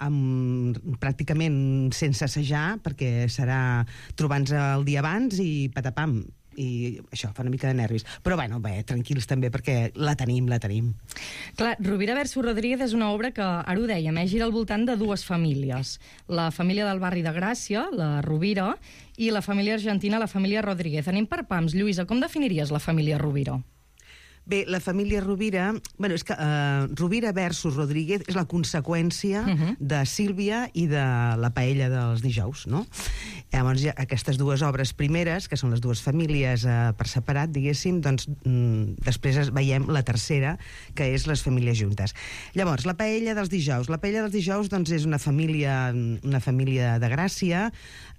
pràcticament sense assajar, perquè serà trobant-nos el dia abans i patapam, i això fa una mica de nervis. Però bueno, bé, tranquils també, perquè la tenim.
Clar, Rovira versus Rodríguez és una obra que, ara ho dèiem, gira al voltant de dues famílies. La família del barri de Gràcia, la Rovira, i la família argentina, la família Rodríguez. Anem per pams. Lluïsa, com definiries la família Rovira?
Bé, la família Rovira... Bueno, és que Rovira versus Rodríguez és la conseqüència de Sílvia i de la paella dels dijous, no? Llavors, aquestes dues obres primeres, que són les dues famílies per separat, diguéssim, doncs després veiem la tercera, que és les famílies juntes. Llavors, la paella dels dijous. La paella dels dijous, doncs, és una família de Gràcia,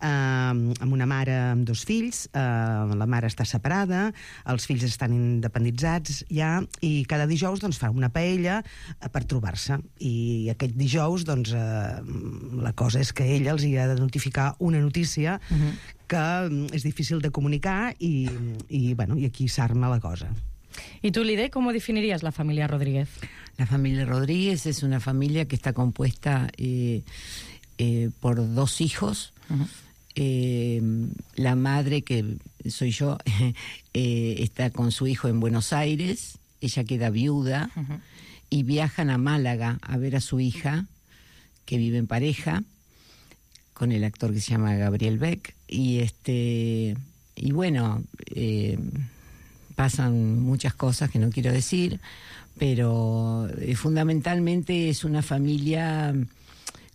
amb una mare amb dos fills, la mare està separada, els fills estan independitzats ja, i cada dijous doncs, fa una paella per trobar-se. I aquest dijous, doncs, la cosa és que ella els hi ha de notificar una notícia que és difícil de comunicar i aquí s'arma la cosa.
¿Y tú, Lide, cómo definirías la familia Rodríguez?
La familia Rodríguez es una familia que está compuesta por dos hijos. La madre, que soy yo, está con su hijo en Buenos Aires. Ella queda viuda y viajan a Málaga a ver a su hija, que vive en pareja con el actor que se llama Gabriel Beck, y bueno, pasan muchas cosas que no quiero decir, pero fundamentalmente es una familia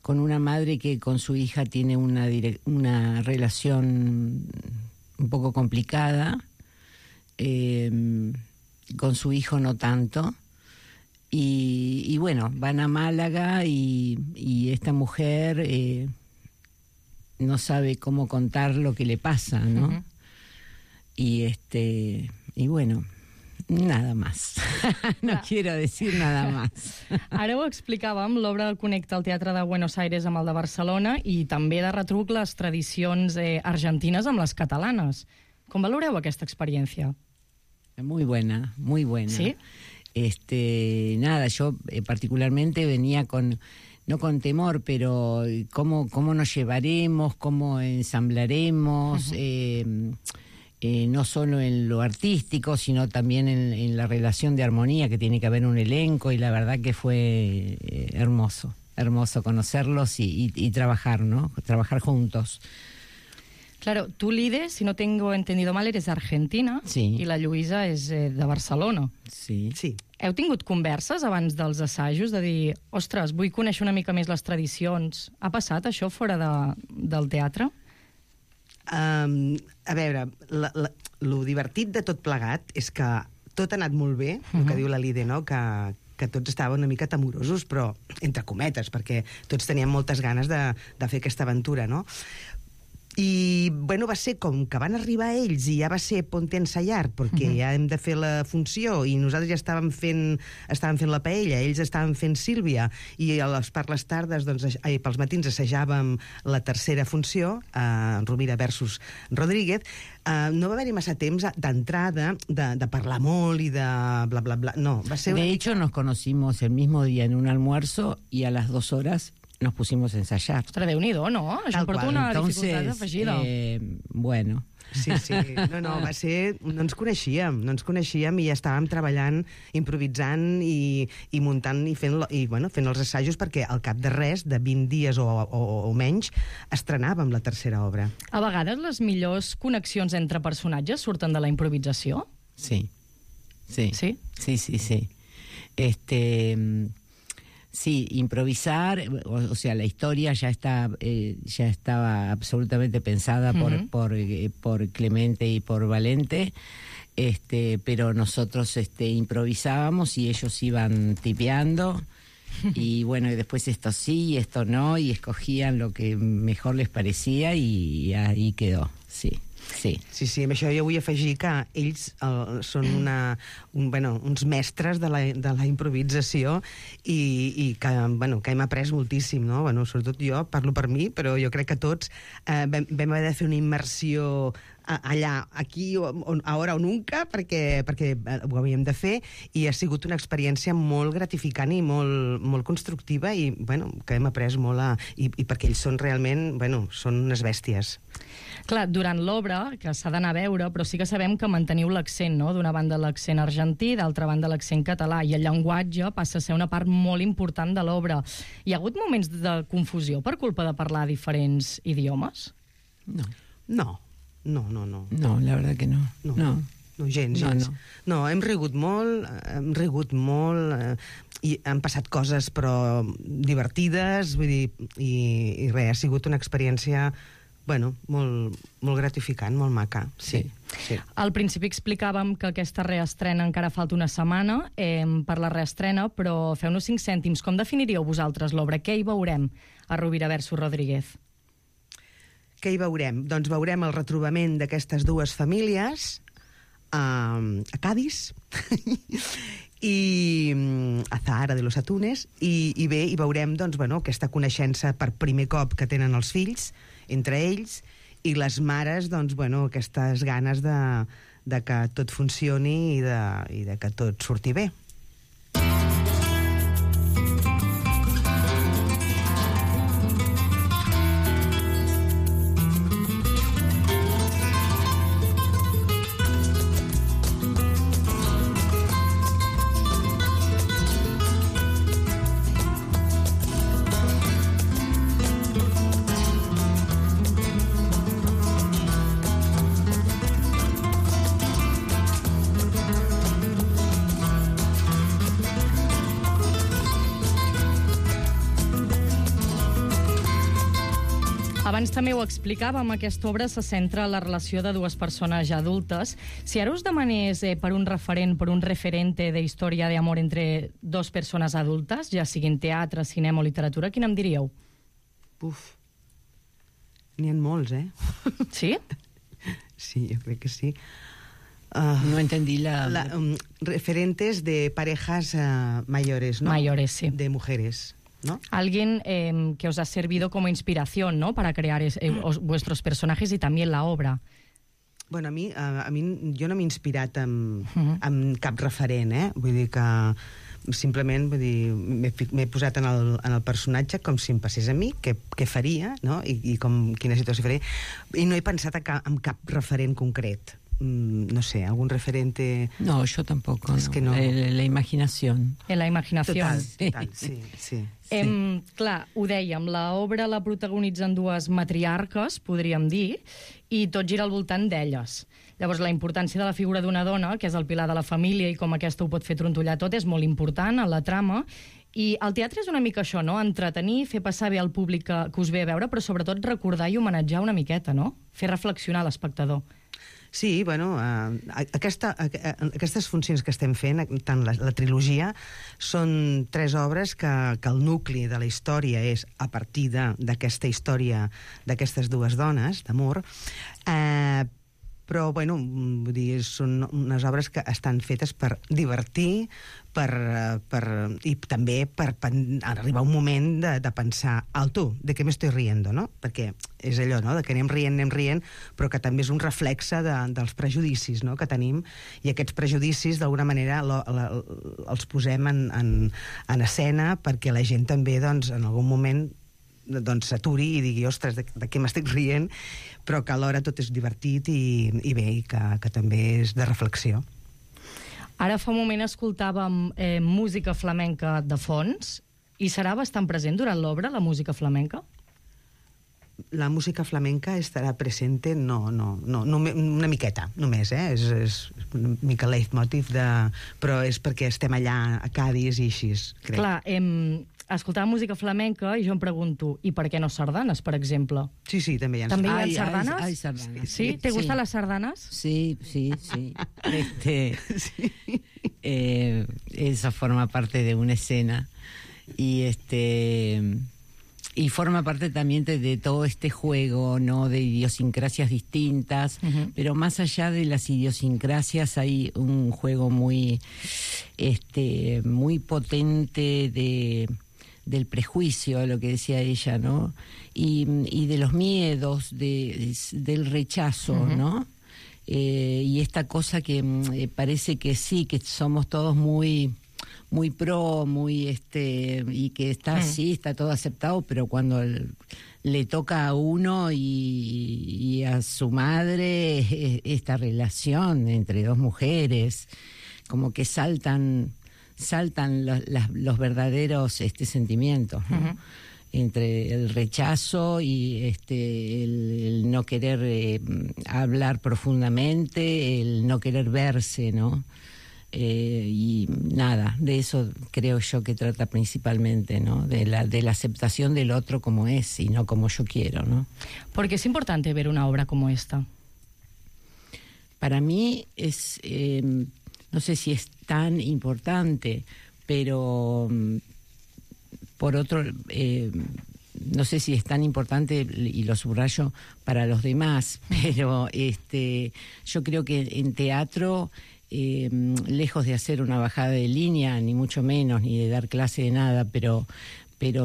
con una madre que con su hija tiene una relación un poco complicada, con su hijo no tanto, y bueno, van a Málaga y esta mujer no sabe cómo contar lo que le pasa, ¿no? Y bueno, nada más. No quiero decir nada más.
Ara ho explicàvem, l'obra connecta el Teatre de Buenos Aires amb el de Barcelona i també de retruc les tradicions argentines amb les catalanes. Com valoreu aquesta experiència?
Muy buena, muy buena.
¿Sí?
Nada, yo particularmente venía no con temor, pero cómo nos llevaremos, cómo ensamblaremos, no solo en lo artístico, sino también en la relación de armonía que tiene que haber un elenco, y la verdad que fue hermoso conocerlos y trabajar, ¿no? Trabajar juntos.
Claro, tú, Lide, si no tengo entendido mal, eres argentina,
sí,
i la Lluïsa és de Barcelona.
Sí.
Heu tingut converses abans dels assajos de dir, ostres, vull conèixer una mica més les tradicions? Ha passat això fora del teatre?
A veure, lo divertit de tot plegat és que tot ha anat molt bé, el que diu la Lide, no? Que tots estaven una mica temorosos, però entre cometes, perquè tots teníem moltes ganes de fer aquesta aventura, no? I, bueno, va ser com que van arribar ells i ja va ser ponte ensayar, perquè ja hem de fer la funció i nosaltres ja estàvem fent la paella, ells estaven fent Sílvia, i per les tardes, doncs, pels matins assajàvem la tercera funció, Rovira versus Rodríguez. No va haver-hi massa temps d'entrada, de parlar molt i de bla, bla, bla. No, va ser...
De hecho, nos conocimos el mismo día en un almuerzo y a las 2 horas nos pusimos a ensayar.
Ostres, Déu-n'hi-do, no? Això em porta una dificultat afegida.
Bueno.
Sí. No, va ser... No ens coneixíem i ja estàvem treballant, improvisant i muntant i fent els assajos, perquè al cap de res, de 20 dies o menys, estrenàvem la tercera obra.
A vegades les millors connexions entre personatges surten de la improvisació?
Sí.
¿Sí?
Sí. Sí, improvisar, o sea, la historia ya estaba absolutamente pensada por Clemente y por Valente, pero nosotros improvisábamos y ellos iban tipeando Y bueno, y después esto sí y esto no, y escogían lo que mejor les parecía y ahí quedó, sí. Sí.
Sí, amb això jo vull afegir que ells són uns mestres de la improvisació i que hem après moltíssim, no? Sobretot jo, parlo per mi, però jo crec que tots vam haver de fer una immersió allà, aquí, ahora o nunca, perquè ho havíem de fer, i ha sigut una experiència molt gratificant i molt constructiva i que hem après molt i perquè ells són realment, són unes bèsties.
Clar, durant l'obra, que s'ha d'anar a veure, però sí que sabem que manteniu l'accent, no? D'una banda l'accent argentí, d'altra banda l'accent català, i el llenguatge passa a ser una part molt important de l'obra. Hi ha hagut moments de confusió per culpa de parlar diferents idiomes?
No,
la verdad que no. No,
gens. No, hem rigut molt, i han passat coses però divertides, vull dir, i res, ha sigut una experiència molt gratificant, molt maca, sí.
Al principi explicàvem que aquesta reestrena encara falta una setmana per la reestrena, però feu-nos 5 cèntims. Com definiríeu vosaltres l'obra? Què hi veurem a Rovira versus Rodríguez?
Què hi veurem? Doncs veurem el retrobament d'aquestes dues famílies a Cádiz i a Zahara de los Atunes, i bé, hi veurem aquesta coneixença per primer cop que tenen els fills entre ells, i les mares aquestes ganes de que tot funcioni i de que tot surti bé.
Abans també ho explicàvem, aquesta obra se centra en la relació de dues persones ja adultes. Si ara us demanés per un referent, per un referente de història d'amor entre dos persones adultes, ja siguin teatre, cinema o literatura, quin em diríeu?
N'hi ha molts,
Sí?
Sí, jo crec que sí.
No entendí
referentes de parejas mayores, ¿no?
Mayores, sí.
De mujeres, ¿no?
Alguien que os ha servido como inspiración, ¿no? Para crear vuestros personajes y también la obra.
Bueno, a mi jo no m'he inspirat en cap referent, Vull dir que simplement m'he posat en el personatge com si em passés a mi, què faria, no? I quina situació faria. I no he pensat en cap referent concret. No sé, algún referente...
No, yo tampoco.
Es que no.
La imaginación.
En la imaginación.
Total, sí.
Clar, ho dèiem, l'obra la protagonitzen dues matriarques, podríem dir, i tot gira al voltant d'elles. Llavors, la importància de la figura d'una dona, que és el pilar de la família, i com aquesta ho pot fer trontollar tot, és molt important en la trama. I el teatre és una mica això, no? Entretenir, fer passar bé al públic que us ve a veure, però sobretot recordar i homenatjar una miqueta, no? Fer reflexionar l'espectador.
Sí, bueno, aquestes funcions que estem fent, tant la trilogia, són 3 obres que el nucli de la història és a partir d'aquesta història d'aquestes dues dones, d'amor, però, bueno, vull dir, són unes obres que estan fetes per divertir, i també per arribar un moment de pensar, alto, de què m'estoy riendo, no? Perquè és allò, no?, de que anem rient, però que també és un reflexe dels prejudicis, no?, que tenim, i aquests prejudicis, d'alguna manera, els posem en escena perquè la gent també, doncs, en algun moment s'aturi i digui, ostres, de què m'estic rient, però que alhora tot és divertit i bé, i que també és de reflexió.
Ara fa un moment escoltàvem música flamenca de fons, i serà bastant present durant l'obra, la música flamenca?
La música flamenca estarà presente, no, una miqueta, només, és una mica leitmotiv, però és perquè estem allà a Cádiz i així, crec.
Clar, escoltava música flamenca i jo em pregunto, i per què no sardanes, per exemple?
Sí, també hi ha
¿També
sardanes.
hi ha sardanes?
Hay sardanas.
¿Sí? ¿Te gustan las sardanas?
Sí. Eso forma parte de una escena. Y forma parte también de todo este juego, ¿no? De idiosincrasias distintas, pero más allá de las idiosincrasias hay un juego muy potente del prejuicio, lo que decía ella, ¿no? Y de los miedos, del rechazo, ¿no? Y esta cosa que parece que sí, que somos todos muy pro, y que está así, está todo aceptado, pero cuando le toca a uno y a su madre esta relación entre dos mujeres, como que saltan los verdaderos sentimientos, ¿no? Entre el rechazo y el no querer hablar profundamente, el no querer verse, ¿no? Y nada, de eso creo yo que trata principalmente, ¿no? De la aceptación del otro como es y no como yo quiero, ¿no?
¿Por qué es importante ver una obra como esta?
Para mí es, no sé si es tan importante, pero por otro, no sé si es tan importante, y lo subrayo para los demás, pero yo creo que en teatro, lejos de hacer una bajada de línea, ni mucho menos, ni de dar clase de nada, pero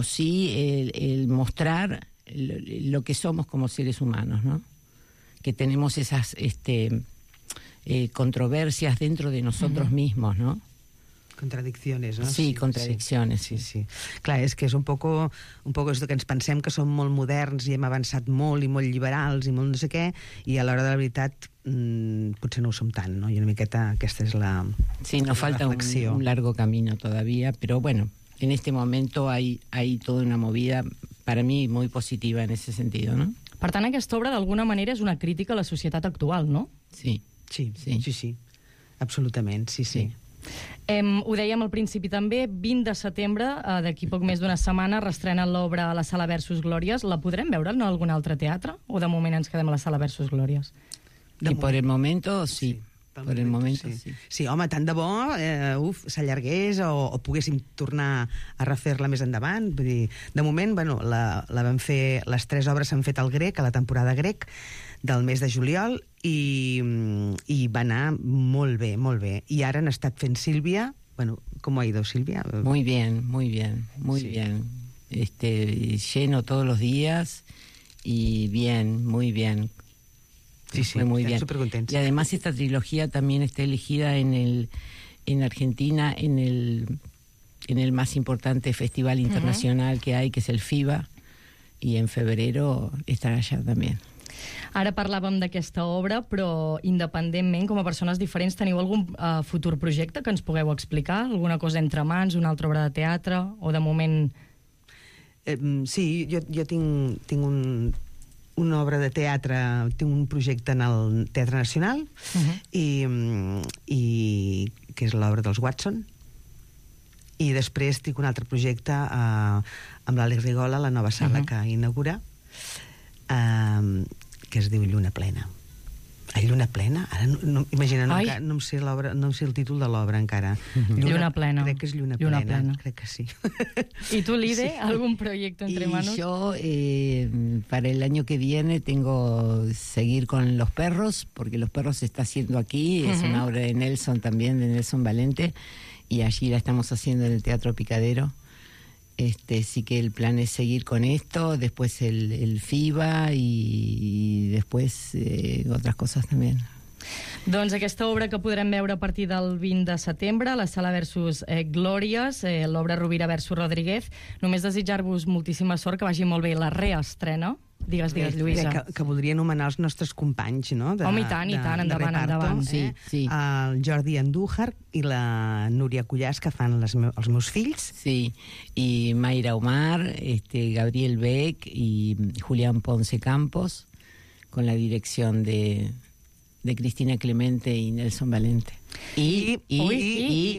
sí el mostrar lo que somos como seres humanos, ¿no? Que tenemos esas controversias dentro de nosotros mismos, ¿no?
Contradicciones, no?
Sí, contradicciones.
Sí. Clar, és que és un poco esto que ens pensem que som molt moderns i hem avançat molt i molt liberals i molt no sé què, i a l'hora de la veritat potser no ho som tant, ¿no? I una miqueta aquesta és la
Sí, nos falta un largo camino todavía, pero bueno, en este momento hay toda una movida, para mí, muy positiva en ese sentido, ¿no?
Per tant, aquesta obra d'alguna manera és una crítica a la societat actual, no?
Sí.
Absolutament, sí.
Ho dèiem al principi també, 20 de setembre, d'aquí poc més d'una setmana, reestrena l'obra a la Sala Versus Glòries. La podrem veure en algun altre teatre? O de moment ens quedem a la Sala Versus Glòries?
Y por el momento, sí. Per el moment, sí.
Sí, home, tant de bo s'allargués o poguéssim tornar a refer-la més endavant. Vull dir, de moment, la vam fer, les 3 obres s'han fet al Grec, a la temporada Grec, del mes de juliol, i va anar molt bé, molt bé. I ara han estat fent Sílvia. ¿Cómo ha ido, Silvia?
Muy bien. Lleno todos los días y bien, muy bien.
Sí,
fue muy bien.
Súper contenta.
Y además esta trilogía también está elegida en Argentina en el más importante festival internacional que hay, que es el FIBA, y en febrero estarà allà també.
Ara parlàvem d'aquesta obra, però independentment, com a persones diferents, teniu algun futur projecte que ens pugueu explicar? Alguna cosa entre mans, una altra obra de teatre, o de moment...
Sí, jo tinc una obra de teatre, tinc un projecte en el Teatre Nacional, i que és l'obra dels Watson, i després tinc un altre projecte amb l'Àlex Rigola, la nova sala que inaugura, que es diu Lluna Plena. Lluna Plena? Ara imagina, no em sé el títol de l'obra encara.
Lluna Plena.
Crec que és Lluna Plena. Crec que sí.
¿Y tú, Lide, algún proyecto entre manos?
Yo, para el año que viene, tengo seguir con Los Perros, porque Los Perros se está haciendo aquí, es una obra de Nelson también, de Nelson Valente, y allí la estamos haciendo en el Teatro Picadero. Sí que el plan es seguir con esto, después el FIBA y después otras cosas también.
Doncs aquesta obra que podrem veure a partir del 20 de setembre a la Sala Versus Glòries, l'obra Rovira versus Rodríguez. Només desitjar-vos moltíssima sort, que vagi molt bé la reestrena. Digues, Lluïsa.
Que voldria anomenar els nostres companys, no?
Home, i tant, endavant.
Sí.
El Jordi Andújar i la Núria Cullàs, que fan els meus fills.
Sí, y Mayra Omar, Gabriel Beck y Julián Ponce Campos, con la dirección de Cristina Clemente y Nelson Valente.
I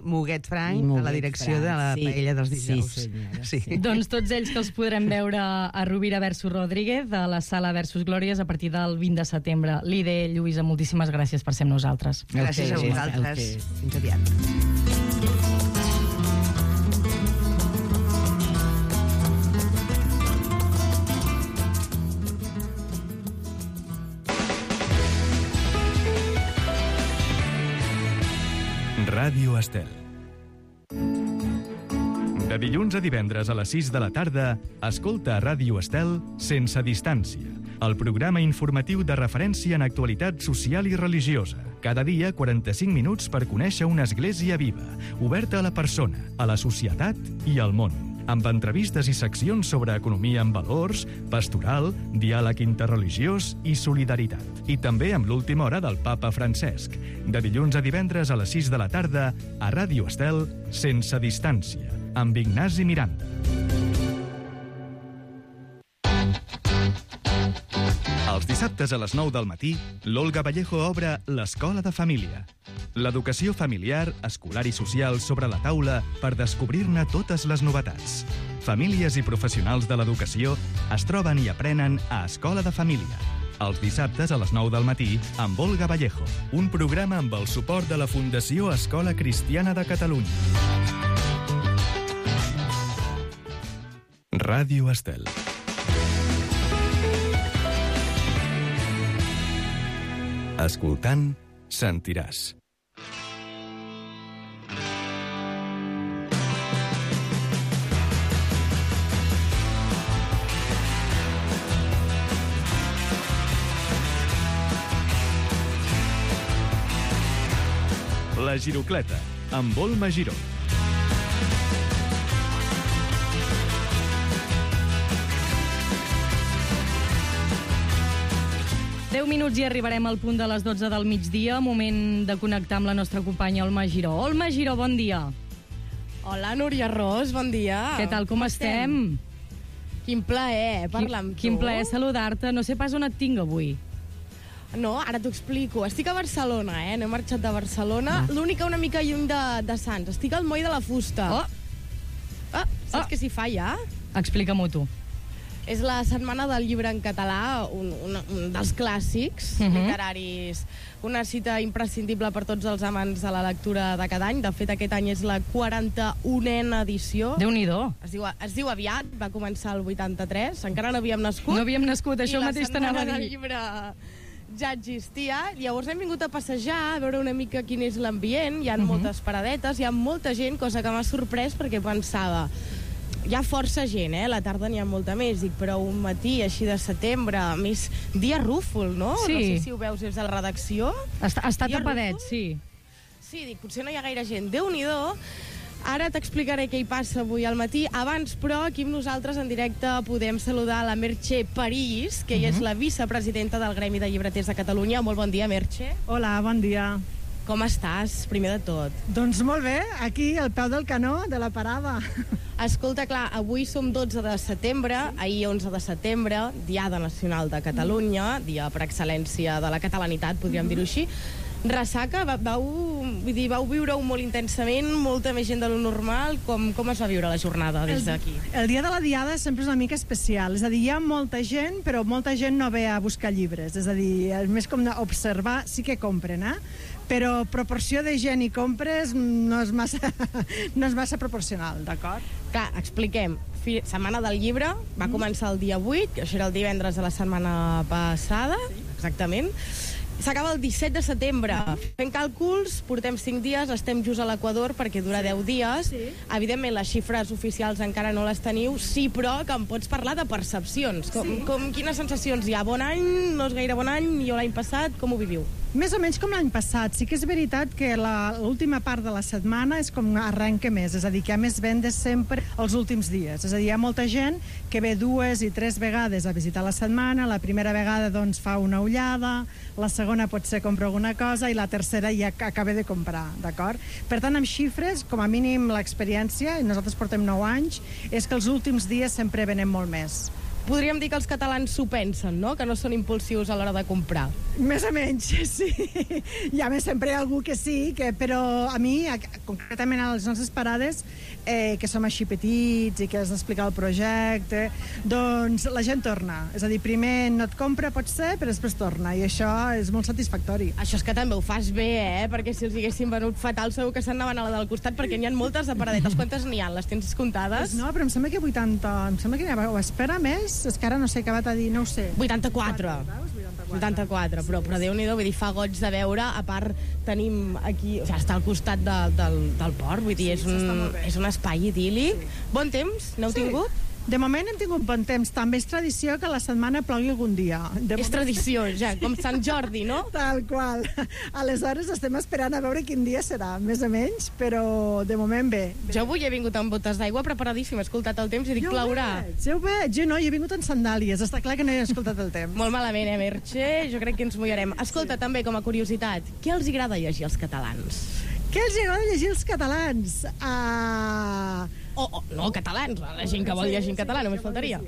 Muguet Frank, a la direcció de la Paella dels Dijous.
Sí.
Doncs tots ells que els podrem veure a Rovira versus Rodríguez, a la Sala Versus Glòries, a partir del 20 de setembre. Lide, Lluïsa, moltíssimes gràcies per ser amb nosaltres.
Gràcies a vosaltres. Fins aviat.
Ràdio Estel. De dilluns a divendres a les 6 de la tarda, escolta a Ràdio Estel Sense Distància, el programa informatiu de referència en actualitat social i religiosa. Cada dia 45 minuts per conèixer una església viva, oberta a la persona, a la societat i al món, amb entrevistes i seccions sobre economia amb valors, pastoral, diàleg interreligiós i solidaritat. I també amb l'última hora del papa Francesc. De dilluns a divendres a les 6 de la tarda, a Ràdio Estel, Sense Distància, amb Ignasi Miranda. Els dissabtes a les 9 del matí, l'Olga Vallejo obre l'Escola de Família. L'educació familiar, escolar i social sobre la taula per descobrir-ne totes les novetats. Famílies i professionals de l'educació es troben i aprenen a Escola de Família. Els dissabtes a les 9 del matí amb Olga Vallejo, un programa amb el suport de la Fundació Escola Cristiana de Catalunya. Ràdio Estel. Escoltant, sentiràs. La Girocleta, amb Volma Giró.
10 minuts i arribarem al punt de les 12 del migdia, moment de connectar amb la nostra companya Olma Giró. Olma Giró, bon dia.
Hola, Núria Ros, bon dia.
Què tal, com estem?
Quin plaer parlar amb tu.
Quin plaer saludar-te. No sé pas on et tinc avui.
No, ara t'ho explico. Estic a Barcelona, no he marxat de Barcelona. L'única una mica lluny de Sants. Estic al Moll de la Fusta. Saps què s'hi fa ja?
Explica-m'ho tu.
És la setmana del llibre en català, un dels clàssics literaris, una cita imprescindible per tots els amants de la lectura de cada any. De fet, aquest any és la 41a edició.
Déu-n'hi-do.
Es diu aviat, va començar el 83, encara no havíem nascut.
No havíem nascut, això mateix t'anava a dir.
I la setmana del llibre ja existia. Llavors hem vingut a passejar, a veure una mica quin és l'ambient. Hi ha moltes paradetes, hi ha molta gent, cosa que m'ha sorprès perquè pensava... Hi ha força gent, la tarda n'hi ha molta més, dic, però un matí així de setembre, més dia rúfol, no?
Sí.
No sé si ho veus des de la redacció.
Està tapadet, sí.
Sí, dic, potser no hi ha gaire gent. Déu-n'hi-do. Ara t'explicaré què hi passa avui al matí. Abans, però, aquí amb nosaltres en directe podem saludar la Merche París, que ella és la vicepresidenta del Gremi de Llibreters de Catalunya. Molt bon dia, Merche.
Hola, bon dia.
Com estàs, primer de tot?
Doncs molt bé, aquí al peu del canó de la parada.
Escolta, clar, avui som 12 de setembre, ahir 11 de setembre, Diada Nacional de Catalunya, dia per excel·lència de la catalanitat, podríem dir-ho així. Ressaca, vau viure-ho molt intensament, molta més gent de lo normal. Com es va viure la jornada des d'aquí?
El dia de la Diada sempre és una mica especial. És a dir, hi ha molta gent, però molta gent no ve a buscar llibres. És a dir, és més com observar, sí que compren, però proporció de gent i compres no és massa proporcional, d'acord?
Clar, expliquem. Setmana del llibre, va començar el dia 8, que això era el divendres de la setmana passada, exactament. S'acaba el 17 de setembre. Fent càlculs, portem 5 dies, estem just a l'Equador perquè dura 10 dies. Evidentment, les xifres oficials encara no les teniu, sí, però que em pots parlar de percepcions. Quines sensacions hi ha? Bon any? No és gaire bon any? Millor l'any passat? Com ho viviu?
Més o menys com l'any passat. Sí que és veritat que l'última part de la setmana és com arrenca més, és a dir, que hi ha més vendes sempre els últims dies. És a dir, hi ha molta gent que ve 2 i 3 vegades a visitar la setmana, la primera vegada doncs fa una ullada, la segona potser compra alguna cosa i la tercera ja acaba de comprar, d'acord? Per tant, amb xifres, com a mínim l'experiència, i nosaltres portem 9 anys, és que els últims dies sempre venem molt més.
Podríem dir que els catalans s'ho pensen, no? Que no són impulsius a l'hora de comprar.
Més o menys, sí. Hi ha sempre algú que sí, però a mi, concretament a les nostres parades, que som així petits i que has d'explicar el projecte, doncs la gent torna. És a dir, primer no et compra, pot ser, però després torna, i això és molt satisfactori.
Això és que també ho fas bé, perquè si els haguessin venut fatal segur que s'anaven a la del costat, perquè n'hi ha moltes de paradetes. Quantes n'hi ha? Les tens comptades?
Pues no, però em sembla que 80, em sembla que n'hi ha, o espera més, és que ara no sé, acabat a dir, no ho sé.
84. 84, però Déu-n'hi-do, vull dir, fa goig de veure, a part tenim aquí, o sigui, està al costat del port, vull dir, és un espai idíl·lic. Bon temps, n'heu tingut?
De moment hem tingut bon temps. També és tradició que la setmana plogui algun dia.
És tradició, ja, com Sant Jordi, no?
Tal qual. Aleshores estem esperant a veure quin dia serà, més o menys, però de moment bé.
Jo avui he vingut amb botes d'aigua preparadíssima, he escoltat el temps i dic, plourà.
Ja ho veig, jo no, jo he vingut en sandàlies, està clar que no he escoltat el temps.
Molt malament, Merche? Jo crec que ens mullarem. Escolta, també, com a curiositat, què els agrada llegir als catalans?
Què els agrada llegir als catalans?
No, catalans, la gent que vol llegir en català, només faltaria.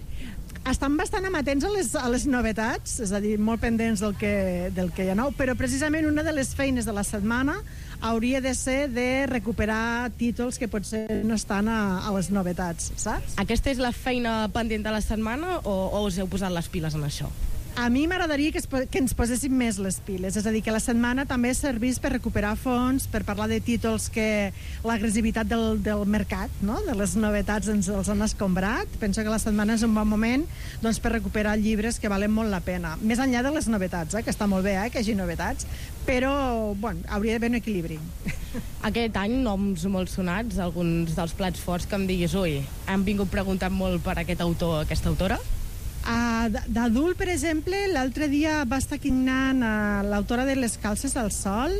Estan bastant amatents a les novetats, és a dir, molt pendents del que hi ha nou, però precisament una de les feines de la setmana hauria de ser de recuperar títols que potser no estan a les novetats, saps?
Aquesta és la feina pendent de la setmana o us heu posat les piles en això?
A mi m'agradaria que ens poséssim més les piles, és a dir, que la setmana també servís per recuperar fons, per parlar de títols que l'agressivitat del mercat, no? De les novetats els han escombrat. Penso que la setmana és un bon moment doncs, per recuperar llibres que valen molt la pena. Més enllà de les novetats, que està molt bé que hi hagi novetats, però bueno, hauria d'haver un equilibri.
Aquest any, noms molt sonats, alguns dels plats forts que em diguis, ui, han vingut preguntant molt per aquest autor, aquesta autora?
D'adult, per exemple, l'altre dia va estar quignant l'autora de Les calces al sol,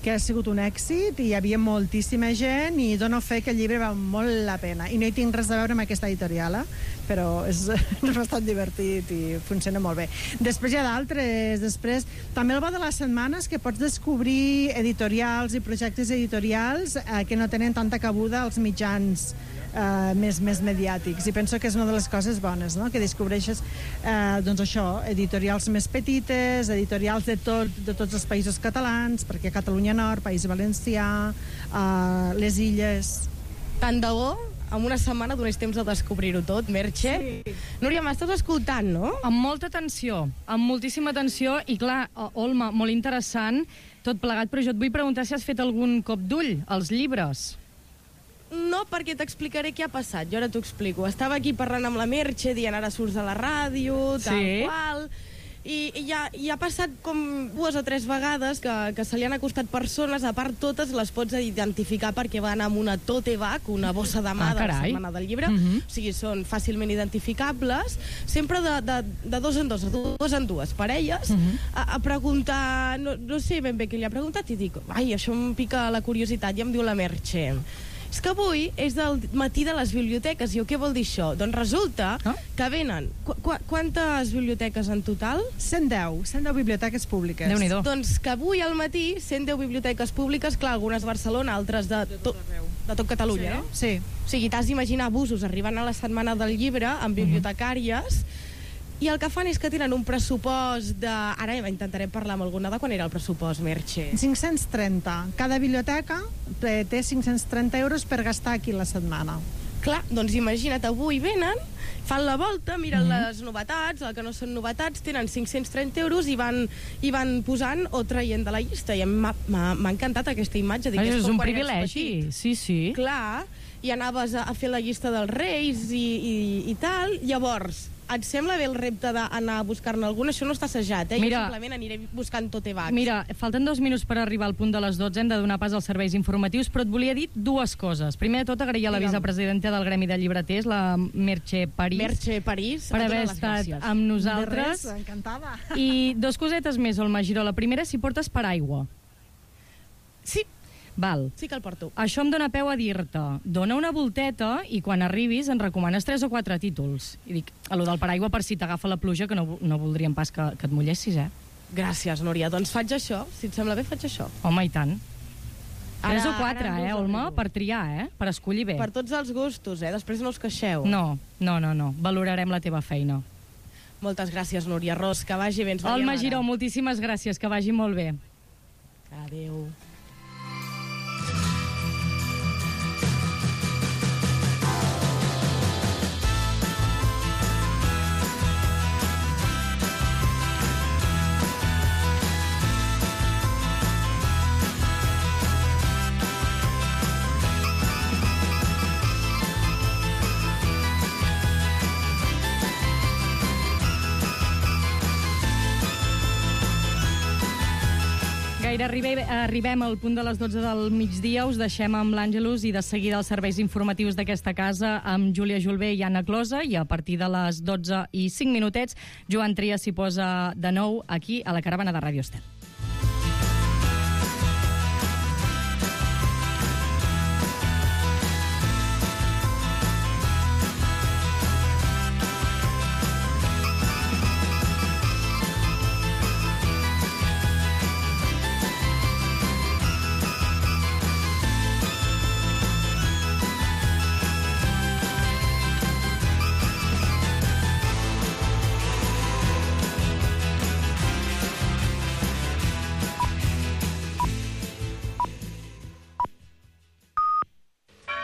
que ha sigut un èxit i hi havia moltíssima gent i dono fe que el llibre val molt la pena. I no hi tinc res a veure amb aquesta editorial, però és bastant divertit i funciona molt bé. Després hi ha d'altres. Després, també el bo de la setmana és que pots descobrir editorials i projectes editorials que no tenen tanta cabuda als mitjans més mediàtics, i penso que és una de les coses bones, no? Que descobreixes doncs això, editorials més petites, editorials de tots els països catalans, perquè Catalunya Nord, País Valencià, les Illes.
Tant de bo en una setmana donés temps a descobrir-ho tot, Merche. Sí. Núria, m'estàs escoltant, no?
Amb molta atenció, amb moltíssima atenció, i clar, Olma, molt interessant tot plegat, però jo et vull preguntar si has fet algun cop d'ull als llibres.
No, perquè t'explicaré què ha passat. Jo ara t'ho explico. Estava aquí parlant amb la Merche, dient ara surts a la ràdio, tal qual, i ha passat com 2 o 3 vegades que se li han acostat persones, a part totes les pots identificar perquè van amb una tote bag, una bossa de mà de la setmana del llibre, o sigui, són fàcilment identificables, sempre de dos en dues parelles, a preguntar, no sé ben bé què li ha preguntat, i dic, ai, això em pica la curiositat, i em diu la Merche, és que avui és del matí de les biblioteques. I què vol dir això? Doncs resulta que venen... Quantes biblioteques en total?
110 biblioteques públiques.
Déu-n'hi-do.
Doncs que avui al matí 110 biblioteques públiques, clar, algunes a Barcelona, altres de tot Catalunya, no?
Sí.
O sigui, t'has d'imaginar busos arribant a la setmana del llibre amb bibliotecàries, i el que fan és que tenen un pressupost de... Ara intentarem parlar amb alguna de quan era el pressupost, Merche.
530. Cada biblioteca té 530 euros per gastar aquí la setmana.
Clar, doncs imagina't, avui venen, fan la volta, miren les novetats, el que no són novetats, tenen 530 euros i van posant o traient de la llista. I m'ha encantat aquesta imatge. Dic,
és un privilegi, sí.
Clar, i anaves a fer la llista dels Reis i tal. Llavors, et sembla bé el repte d'anar a buscar-ne alguna? Això no està assajat,
Mira,
jo simplement aniré buscant tote bags.
Mira, falten 2 minuts per arribar al punt de les 12, hem de donar pas als serveis informatius, però et volia dir 2 coses. Primer de tot, agrair a la vicepresidenta del Gremi de Llibreters, la Merche París.
Merche París,
per haver estat amb nosaltres.
De res, encantada.
I 2 cosetes més, Olma Giró. La primera, si portes paraigua.
Sí.
Val.
Sí que el porto.
Això em dóna peu a dir-te, dona una volteta i quan arribis en recomanes 3 o 4 títols. I dic, a lo del paraigua per si t'agafa la pluja, que no voldríem pas que et mullessis,
Gràcies, Núria. Doncs faig això. Si et sembla bé, faig això.
Home, i tant. 3 o 4, Olma, per triar, per escollir bé.
Per tots els gustos, després no us queixeu.
No. Valorarem la teva feina.
Moltes gràcies, Núria Ros. Que vagi bé.
Olma Giró, moltíssimes gràcies. Que vagi molt bé.
Adéu.
seguida arribem al punt de les 12 del migdia. Us deixem amb l'Àngelus i de seguida els serveis informatius d'aquesta casa amb Júlia Julbé i Anna Closa, i a partir de les 12 i 5 minutets Joan Trias s'hi posa de nou aquí a la caravana de Ràdio Estel.